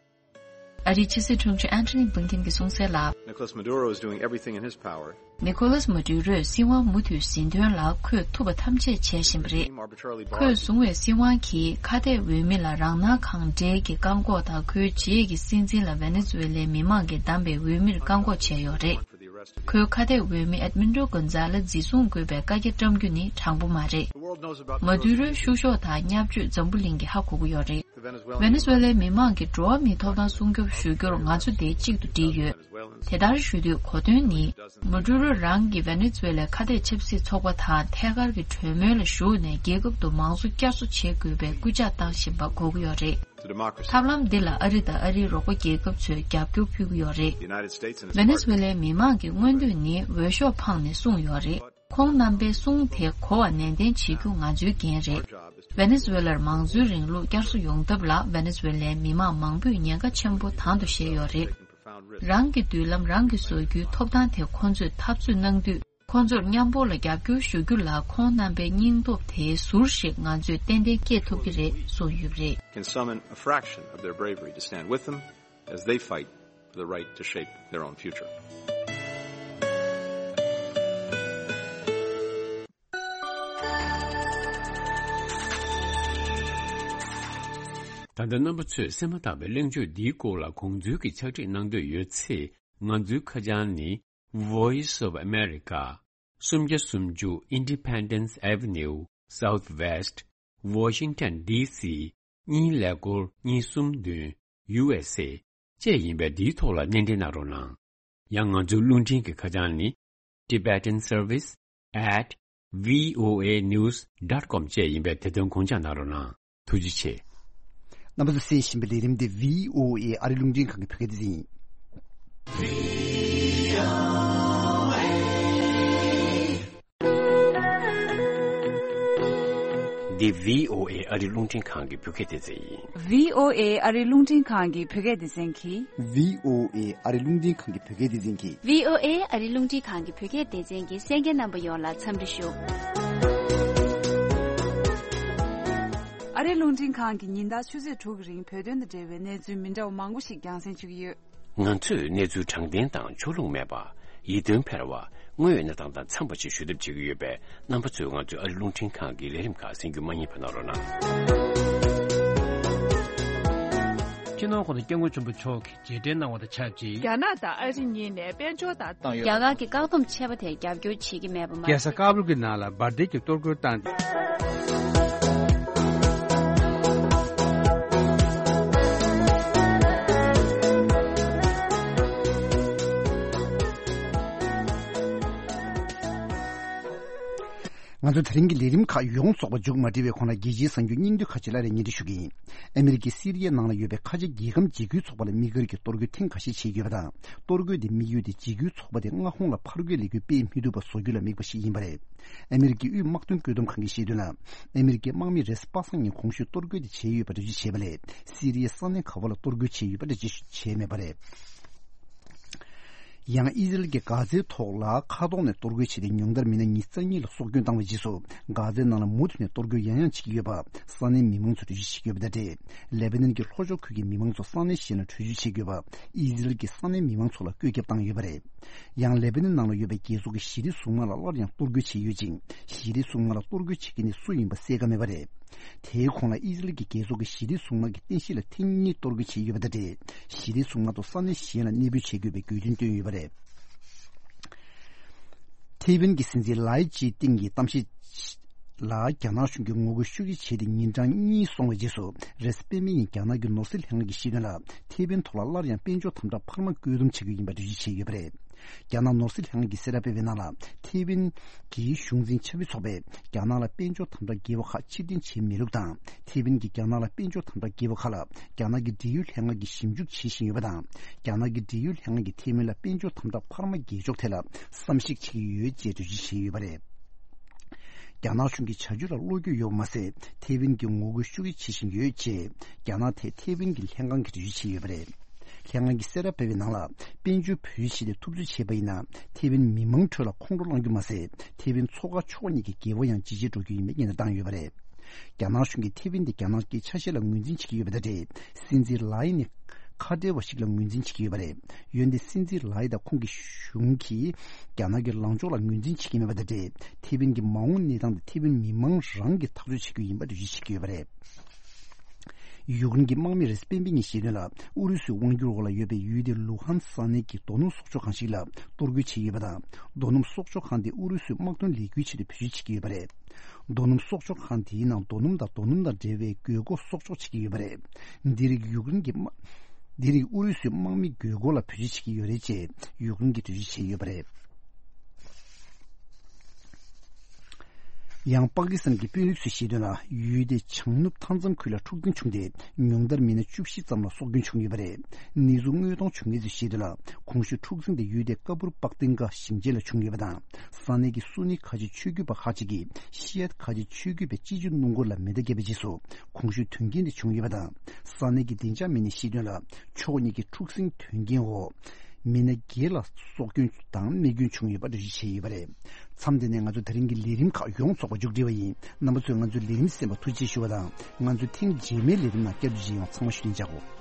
ཨ་རིའི་ཕྱི་སྲིད་དྲུང་ཆེ་ཨན་ཐོ་ནི་བྷིང་ཀིན་གྱིས་གསུངས་གསལ་ལ། Nicolas Maduro is doing everything in his power. ནི་ཁོ་ལཱས་མ་དུ་རོས་སྲིད་དབང་མུ་མཐུད་ཟིན་དོན་ལ་ཁོས་ཐུབ་པ་ཐམས་ཅད་བྱས་བཞིན་པ་རེད། ཁོས་བཟུང་བའི་སྲིད་དབང་གིས་ཁ་གཏད་འོས་མི་ལ་རང་སྣང་གང་འདྲའི་གི་བཀག་འགོག་དང་། ཁོའི་རྗེས་ཀྱི་སྲིད་འཛིན་ལ་ཝེ་ནེ་ཛུ་ཝེ་ལའི་མི་མང་གིས་བདམས་པའི་འོས་མིར་བཀག་འགོག་བྱས་ཡོད་རེད། ཁོའི་ཁ་གཏད་འོས་མི་ཨེད་མིན་ཏྲོ་གོན་ཛ་ལེ་འཛིན་བཟུང་དགོས་པའི་བཀའ་རྒྱ་བཀྲམ་རྒྱུ་ནི་དྲང་པོ་མ་རེད། མ་དུ་རོའི་བཤུ་གཞོག་དང་བརྙས་བཅོས་འཛམ་བུ་གླིང་གིས་ཧ་གོ་གི་ཡོད་རེད། ཝེ་ནེ་ཛུ་ཝེ་ལའི་མི་མང་གི་འགྲོ་བ་མིའི་ཐོབ་ཐང་སྲུང་སྐྱོབ་ཞུ་རྒྱུར་ང་ཚོ་དེ་གཅིག་ཏུ་བསྒྲིལ་ཡོད། དེ་ལྟར་ཞུ་དུས་གོ་དོན་ནི། མ་དུ་རོ་རང་གིས་ཝེ་ནེ་ཛུ་ཝེ་ལའི་ཁ་གཏད་ཆབ་སྲིད་ཚོགས་པ་དང་ཐད་ཀར་གྱི་གྲོས་མོལ་ལ་ཞུགས་ནས་རྒྱལ་ཁབ་ཏུ་མང་གཙོ་བསྐྱར་གསོ་བྱེད་དགོས་པའི་སྐུལ་ལྕག་བཏང་བཞིན་པ་གོ་གི་ཡོད་རེད། The democracy. ཐབས་ལམ་འདི་ལ་ཨ་རི་དང་ཨ་རིའི་རོགས་པ་རྒྱལ་ཁབ་ཚོས་རྒྱབ་སྐྱོར་ཕུལ་གྱི་ཡོད་རེད། The United States and its ཝེ་ནེ་ཛུ་ཝེ་ལའི་མི་མང་གི་མངོན་འདོད་ནི་འོས་ཤོག་འཕངས་ནས་སྲུང་ཡོད་རེད། ཁོང་རྣམ་པའི་གསུང་དེ་གོ་བ་ནན་ཏན་བྱེད་རྒྱུ་ང་ཚོའི་འགན་རེད། ཝེ་ནེ་ཛུ་ཝེ་ལར་མང་གཙོའི་རིང་ལུགས་བསྐྱར་གསོ་ཡོང་ཐབས་ལ་ཝེ་ནེ་ཛུ་ཝེ་ལའི་མི་མང་མང་པོས་ཉེན་ཁ་ཆེན་པོ་དང་དུ་བཞེས་ཡོད་རེད། རང་གི་མདུན་ལམ་རང་གིས་བཟོ་རྒྱུའི་ཐོབ་ཐང་དེ་ཁོང་ཚོས་འཐབ་རྩོད་གནང་དུས། ཁོང་ཚོར་མཉམ་པོ་ལ་རྒྱབ་སྐྱོར་ཞུ་རྒྱུ་ལ་ཁོང་རྣམ་པའི་སྙིང་སྟོབས་དེའི་ཟུར་ཞིག་ང་ཚོས་ཏན་ཏན་སྐྱེད་ཐུབ་ཀྱི་རེད་གསུངས་ཡོད་པ་རེད། Can summon a fraction of their bravery to stand with them as they fight for the right to shape their own future. ད་ལྟ་རྣམ་པ་ཚོས་གསན་མ་ཐག་པའི་གླེང་བརྗོད་འདིའི་སྐོར་ལ་དགོངས་ཚུལ་གྱི་ཕྱག་བྲིས་གནང་འདོད་ཡོད་ཚེ། ང་ཚོའི་ཁ་བྱང་ནི། Voice of America། སུམ་བརྒྱ་སུམ་ཅུ། Independence Avenue Southwest, Washington D C གཉིས་ཀླད་ཀོར་གཉིས་གསུམ་བདུན། U S A བཅས་ཡིན་པས། འདིའི་ཐོག་ལ་སྣེ་འདྲེན་གནང་རོགས་གནང་། ཡང་ང་ཚོའི་རླུང་འཕྲིན་གྱི་ཁ་བྱང་ནི། Tibetan Service at V O A News dot com བཅས་ཡིན་པས། དེ་དོན་དགོངས་འཇགས་གནང་རོགས་གནང་། ཐུགས་རྗེ་ཆེ། རྣམ་པ་ཚོས་གསན་བཞིན་པའི་ལས་རིམ་དེ་V O A ཨ་རི་རླུང་འཕྲིན་ཁང་གི་བོད་སྐད་སྡེ་ཚན་ཡིན། འདི་V O A ཨ་རི་རླུང་འཕྲིན་ཁང་གི་བོད་སྐད་སྡེ་ཚན་ཡིན། V O A ཨ་རི་རླུང་འཕྲིན་ཁང་གི་བོད་སྐད་སྡེ་ཚན་གྱིས། V O A ཨ་རི་རླུང་འཕྲིན་ཁང་གི་བོད་སྐད་སྡེ་ཚན་གྱིས། V O A ཨ་རི་རླུང་འཕྲིན་ཁང་གི་བོད་སྐད་སྡེ་ཚན་གྱི་གསན་མཁན་རྣམ་པ་ཡོངས་ལ་འཚམས་འདྲི་ཞུ། ཨ་རི་རླུང་འཕྲིན་ཁང་གི་ཉིན་ལྟར་ཆུ་ཚོད་དྲུག་གི་རིང་བོད་དོན་དང་འབྲེལ་བའི་གནས་ཚུལ་མི་འདྲ་བ་མང་པོ་ཞིག་རྒྱང་སྲིང་ཞུ་གི་ཡོད། ང་ཚོས་གནས་ཚུལ་དྲང་བདེན་དང་ཕྱོགས་ལྷུང་མེད་པ། ཡིད་རྟོན་འཕེར་བ། དངོས་ཡོད་གནས་སྟངས་དང་འཚམས་པ་ཞིག་ཞུ་ཐབས་བྱེད་ཀྱི་ཡོད་པས། རྣམ་པ་ཚོས་ང་ཚོའི་ཨ་རི་རླུང་འཕྲིན་ཁང་གི་ལས་རིམ་ཁག་གསན་རྒྱུ་མ་བསྙེལ་བ་གནང་རོགས་གནང་། སྤྱི་ནོར་༸གོང་ས་༸སྐྱབས་མགོན་ཆེན་པོ་མཆོག་གིས་རྗེས་དྲན་གནང་བ་དང་ཆབས་ཅིག་རྒྱ་ནག་དང་ཨ་རི་གཉིས་ནས་དཔལ་འབྱོར་དང་། བཏང་ཡོད། རྒྱ་གར་གྱི་བཀག་སྡོམ་ཆད་པ་དེར་རྒྱབ་སྐྱོར་བྱེད་ཀྱི་མེད་པ་མ་རྒྱལ་ས་ཀ་བུལ་གྱི་ནང་ལ་འབར་མདེལ་གྱི་གཏོར་རྒོལ་བཏང་སྟེ། ང་ཚོ་དེ་རིང་གི་ལས་རིམ་ཁག་ཡོངས་རྫོགས་པ་མཇུག་མ་སྒྲིལ་བའི་གོང་ལ། རྒྱལ་སྤྱིའི་གསར་འགྱུར་སྙིང་བསྡུས་ཁག་ཅིག་སླར་ཡང་སྙན་སྒྲོན་ཞུ་གི་ཡིན། ཨ་མི་རི་ཀས་སི་རི་ཡའི་ནང་ལ་ཡོད་པའི་ཁ་ཆེ་རྒྱལ་ཁམས་འཇིགས་སྐུལ་ཚོགས་པ་ལ་དམིགས་བཀར་གྱི་གཏོར་རྒོལ་ཐེངས་འགའ་ཤས་བྱས་ཡོད་པ་དང་། གཏོར་རྒོལ་དེའི་དམིགས་ཡུལ་དེ་འཇིགས་སྐུལ་ཚོགས་པ་དེ་མངའ་ཁོངས་ལ་ཕར་རྒོལ་ལས་འགུལ་སྤེལ་མི་ཐུབ་པ་བཟོ་རྒྱུ་ལ་དམིགས་པ་ཞིག་ཡིན་པ་རེད། ཨ་མི་རི་ཀའི་དབུས་དམག་དོན་བཀོད་འདོམས་ཁང་གིས་བཤད་དོན་ལ། ཨ་མི་རི་ཀའི་དམག་མི་རེས་པ་སངས་ཉིན་གོང་ཞུས་གཏོར་རྒོལ་དེ་བྱས་ཡོད་པ་འགྲེལ་བརྗོད་བྱས་པ་ལས། སི་རི་ཡའི་ས་གནས་ག་བ་ལ་གཏོར་རྒོལ་བྱས་ཡོད་པ་འགྲེལ་བརྗོད་བྱས་མེད་པ་རེད། ཡང་ཨི་ཟི་རལ་གྱིས་གྷ་ཛའི་ཐོག་ལ་མཁའ་ཐོག་ནས་གཏོར་རྒོལ་བྱས་ཏེ། ཉུང་མཐར་མི་སྣ་ཉི་ཤུ་རྩ་གཉིས་ལ་སྲོག་སྐྱོན་བཏང་བའི་རྗེས་སུ། གྷ་ཛའི་ནང་ལ་མུ་མཐུད་ནས་གཏོར་རྒོལ་ཡང་ཡང་བྱེད་ཀྱི་ཡོད་པ་ས་གནས་མི་མང་ཚོས་འགྲེལ་བརྗོད་བྱེད་ཀྱི་ཡོད་པ་དང་འབྲེལ། ལེ་པ་ནན་གྱི་ལྷོ་ཕྱོགས་ཁུལ་གྱི་མི་མང་ཚོ་ས་གནས་གཞན་ལ་བྲོས་བྱོལ་བྱེད་དགོས་པ། ཨི་ཟི་རལ་གྱིས་ས་གནས་མི་མང་ཚོ་ལ་བཀོད་ཁྱབ་བཏང་ཡོད་པ་རེད། ཡང་ལེ་པ་ནན་ནང་ལ་ཡོད་པའི་རྒྱལ་ཚོགས་ཀྱི་ཞི་བདེ་སྲུང་དམག་ལ་སླར་ཡང་གཏོར་རྒོལ་བྱས་ཡོད་ཅིང་། ཞི་བདེ་སྲུང་དམག་ལ་གཏོར་རྒོལ་བྱེད་མཁན་ནི་སུ་ཡིན་པ་གསལ་ཁ་མེད་པ་རེད། དེའི་གོང་ལ་ཨི་ཟི་རལ་གྱི་རྒྱལ་ཚོགས་ཀྱི་ཞི་བདེ་སྲུང་དམག་གི་རྟེན་གཞི་ལ་ཐེངས་གཉིས་གཏོར་རྒོལ་བྱས་ཡོད་པ་དང་འབྲེལ། ཞི་བདེ་སྲུང་དམག་ཚོ་ས་གནས་གཞན་ལ་གནས་སྤོས་བྱེད་དགོས་པའི་དགོས་འདུན་བཏོན་ཡོད་པ་རེད། ཐེ་ཝན་གྱི་སྲིད་འཛིན་ལའེ་ཅི་ཏིང་གིས་གཏམ་བཤད་ལ། རྒྱ་ནག་གཞུང་གིས་ངོ་རྒོལ་ཤུགས་ཆེ་བྱས་ཏེ་ཉིན་གྲངས་གཉིས་སོང་བའི་རྗེས་སུ། རེས་གཟའ་སྤེན་པའི་ཉིན་རྒྱ་ནག་གི་ནོར་སྲིད་ལྷན་ཁང་གིས་བཤད་དོན་ལ། ཐེ་ཝན་ཐོག་ལ་སླར་ཡང་དཔལ་འབྱོར་དམ་དྲག་འཕར་མ་བཀོད་འདོམས་བྱེད་ཀྱི་ཡིན་པ་འགྲེལ་བརྗོད་བྱས་ཡོད་པ་རེད། རྒྱ་ནག་ནོར་སྲིད་ལྷན་ཁང་གིས་གསལ་བསྒྲགས་སྤེལ་བའི་ནང་ལ། ཐེ་ཝན་གྱི་གཞུང་འཛིན་ཆབ་སྲིད་ཚོགས་པས་རྒྱ་ནག་ལ་དཔལ་འབྱོར་དམ་དྲག་འགེལ་བ་ཁག་ཕྱིར་འཐེན་བྱེད་མི་ལུགས་དང་། ཐེ་ཝན་གྱིས་རྒྱ་ནག་ལ་དཔལ་འབྱོར་དམ་དྲག་འགེལ་བ་ཁག་ལ། རྒྱ་ནག་གི་འབྲེལ་ཡོད་ལྷན་ཁང་གིས་ཞིབ་འཇུག་བྱེད་བཞིན་ཡོད་པ་དང་། རྒྱ་ནག་གི་འབྲེལ་ཡོད་ལྷན་ཁང་གིས་ཐེ་ཝན་ལ་དཔལ་འབྱོར་དམ་དྲག་འཕར་མ་རྒྱས་འཇོག་ཐད་ལ་བསམ་གཞིག་བྱེད་ཀྱི་ཡོད་ཅེས་འགྲེལ་བརྗོད་བྱས་ཡོད་པ་རེད། རྒྱ་ནག་གཞུང་གི་བྱ་སྤྱོད་ལ་བློ་འགྱོད་ཡོད་པ་མ་ཟད། ཐེ་ཝན་གྱིས་ངོ་རྒོལ་ཤུགས་ཆེ་བྱེད་བཞིན་ཡོད་ཅེས། རྒྱ་ནག་ཐད་ཐེ་ཝན་གྱི་ལྷན་ཁང་གིས་འགྲེལ་བརྗོད་བྱས་ཡོད་པ་རེད། ལྷན་ཁང་གིས་གསལ་བསྒྲགས་སྤེལ་བའི་ནང་ལ། དཔལ་འབྱོར་བོད་ཡིག་ཆེད་དུ་ཐུབ་ཚོད་བྱས་པ་ཡིན་ན། ཐེ་ཝན་མི་མང་ཁྲོད་ལ་ཁོང་ཁྲོ་བསླང་རྒྱུ་མ་ཟད། ཐེ་ཝན་མཚོ་ཁ་ཕྱོགས་གཉིས་ཀྱི་འགལ་བ་ཡང་ཇེ་ཆེར་འགྲོ་རྒྱུ་ཡིན་པའི་སྙན་སེང་བཏང་ཡོད་པ་རེད། རྒྱ་ནག་གཞུང་གིས་ཐེ་ཝན་དེ་རྒྱ་ནག་གི་ཆ་ཤས་ལ་ངོས་འཛིན་བྱེད་ཀྱི་ཡོད་པ་དང་འབྲེལ། སྲིད་འཛིན་ལའེ་ནི་ཁ་བྲལ་བ་ཞིག་ལ་ངོས་འཛིན་བྱེད་ཀྱི་ཡོད་པ་རེད། འོན་ཏེ་སྲིད་འཛིན་ལའེ་དང་ཁོང་གི་གཞུང་གིས་རྒྱ་ནག་གི་ལངས་ཕྱོགས་ལ་ངོས་འཛིན་བྱེད་ཀྱི་མེད་པ་དང་འབྲེལ། ཐེ་ཝན་གྱི་མ་འོངས་གནས་སྟངས་དེ་ཐེ་ཝན་མི་མང་རང་གིས་ཐག་གཅོད་བྱེད་རྒྱུ་ཡིན་པ་འགྲེལ་བརྗོད་བྱེད་ཀྱི་ཡོད་པ་རེད། ཡུཀ་རེན་གྱི་དམག་མི་རེས་གཟའ་སྤེན་པའི་ཉིན་བཤད་དོན་ལ། ཨུ་རུ་སུའི་དབང་སྒྱུར་འོག་ལ་ཡོད་པའི་ཡུལ་དེ་ལུ་ཧན་ས་གནས་ཀྱི་རྡོ་སྣུམ་གསོག་འཇོག་ཁང་ཞིག་ལ་གཏོར་རྒོལ་བྱས་ཡོད་པ་དང་། རྡོ་སྣུམ་གསོག་འཇོག་ཁང་དེ་ཨུ་རུ་སུའི་དམག་དོན་ལས་འགུལ་ཆེད་དུ་བེད་སྤྱོད་བྱེད་ཀྱི་ཡོད་པ་རེད། རྡོ་སྣུམ་གསོག་འཇོག་ཁང་དེའི་ནང་རྡོ་སྣུམ་དང་རྡོ་སྣུམ་དང་འབྲེལ་བའི་དགོས་མཁོ་གསོག་འཇོག་བྱེད་ཀྱི་ཡོད་པ་རེད། འདི་རིགས་ཡུཀ་རེན་གྱི་དམག་འདི་རིགས་ཨུ་རུ་སུའི་དམག་མི་དགོས་མཁོ་ལ་བེད་སྤྱོད་བྱེད་ཀྱི་ཡོད་རེད་ཅེས་ཡུཀ་རེན་གྱིས་འགྲེལ་བརྗོད་བྱས་ཡོད་པ་རེད། ཡང་པ་ཀི་སི་ཐན་གྱི་དཔོན་རིགས་ཚོས་བཤད་དོན་ལ། ཡུལ་དེའི་བྱང་ནུབ་མཐའ་མཚམས་ཁུལ་ལ་འཁྲུག་འཛིང་བྱུང་སྟེ། ཉུང་མཐར་མི་སྣ་བཅུ་བཞི་ཙམ་ལ་སྲོག་སྐྱོན་བྱུང་ཡོད་པ་རེད། གནས་ཚུལ་དངོས་མཐོང་བྱུང་མཁན་ཚོས་བཤད་དོན་ལ། གོང་ཞུས་འཁྲུག་འཛིང་དེ་ཡུལ་དེའི་ཀ་པུར་པག་ཏིང་ཀ་ཞིང་ཆེན་ལ་བྱུང་ཡོད་པ་དང་། ས་གནས་ཀྱི་སུ་ནི་ཁ་ཆེ་ཆོས་བརྒྱུད་པ་ཁག་ཅིག་གིས་ཤི་ཡད་ཁ་ཆེ་ཆོས་བརྒྱུད་པའི་སྤྱི་སྤྱོད་སྣུམ་འཁོར་ལ་མེ་མདའ་བརྒྱབ་པའི་རྗེས་སུ། གོང་ཞུས་དོན་རྐྱེན་དེ་བྱུང་ཡོད་པ་དང་། ས་གནས་ཀྱི་བདེ་འཇགས་མི་སྣས་བཤད་དོན་ལ། ཕྱོགས་གཉིས་ཀྱི་འཁྲུག་ཟིང་དོན་རྐྱེན་འོག་མི་སྣ་བརྒྱད་ལ་སྲོག་སྐྱོན་དང་རྨས་སྐྱོན་བྱུང་ཡོད་པ་འགྲེལ་བརྗོད་བྱས་ཡོད་པ་རེད། མཚམས་འདི་ནས་ང་ཚོ་དེ་རིང་གི་ལས་རིམ་ཁག་ཡོངས་རྫོགས་པ་མཇུག་སྒྲིལ་བ་ཡིན། རྣམ་པ་ཚོས་ང་ཚོའི་ལས་རིམ་གསན་པར་ཐུགས་རྗེ་ཆེ་ཞུ་བ་དང་། ང་ཚོའི་ཐེངས་རྗེས་མའི་ལས་རིམ་ནང་བསྐྱར་དུ་མཇལ་ཡོང་། ཚང་མ་བཞུགས་གདན་འཇགས་དགོས།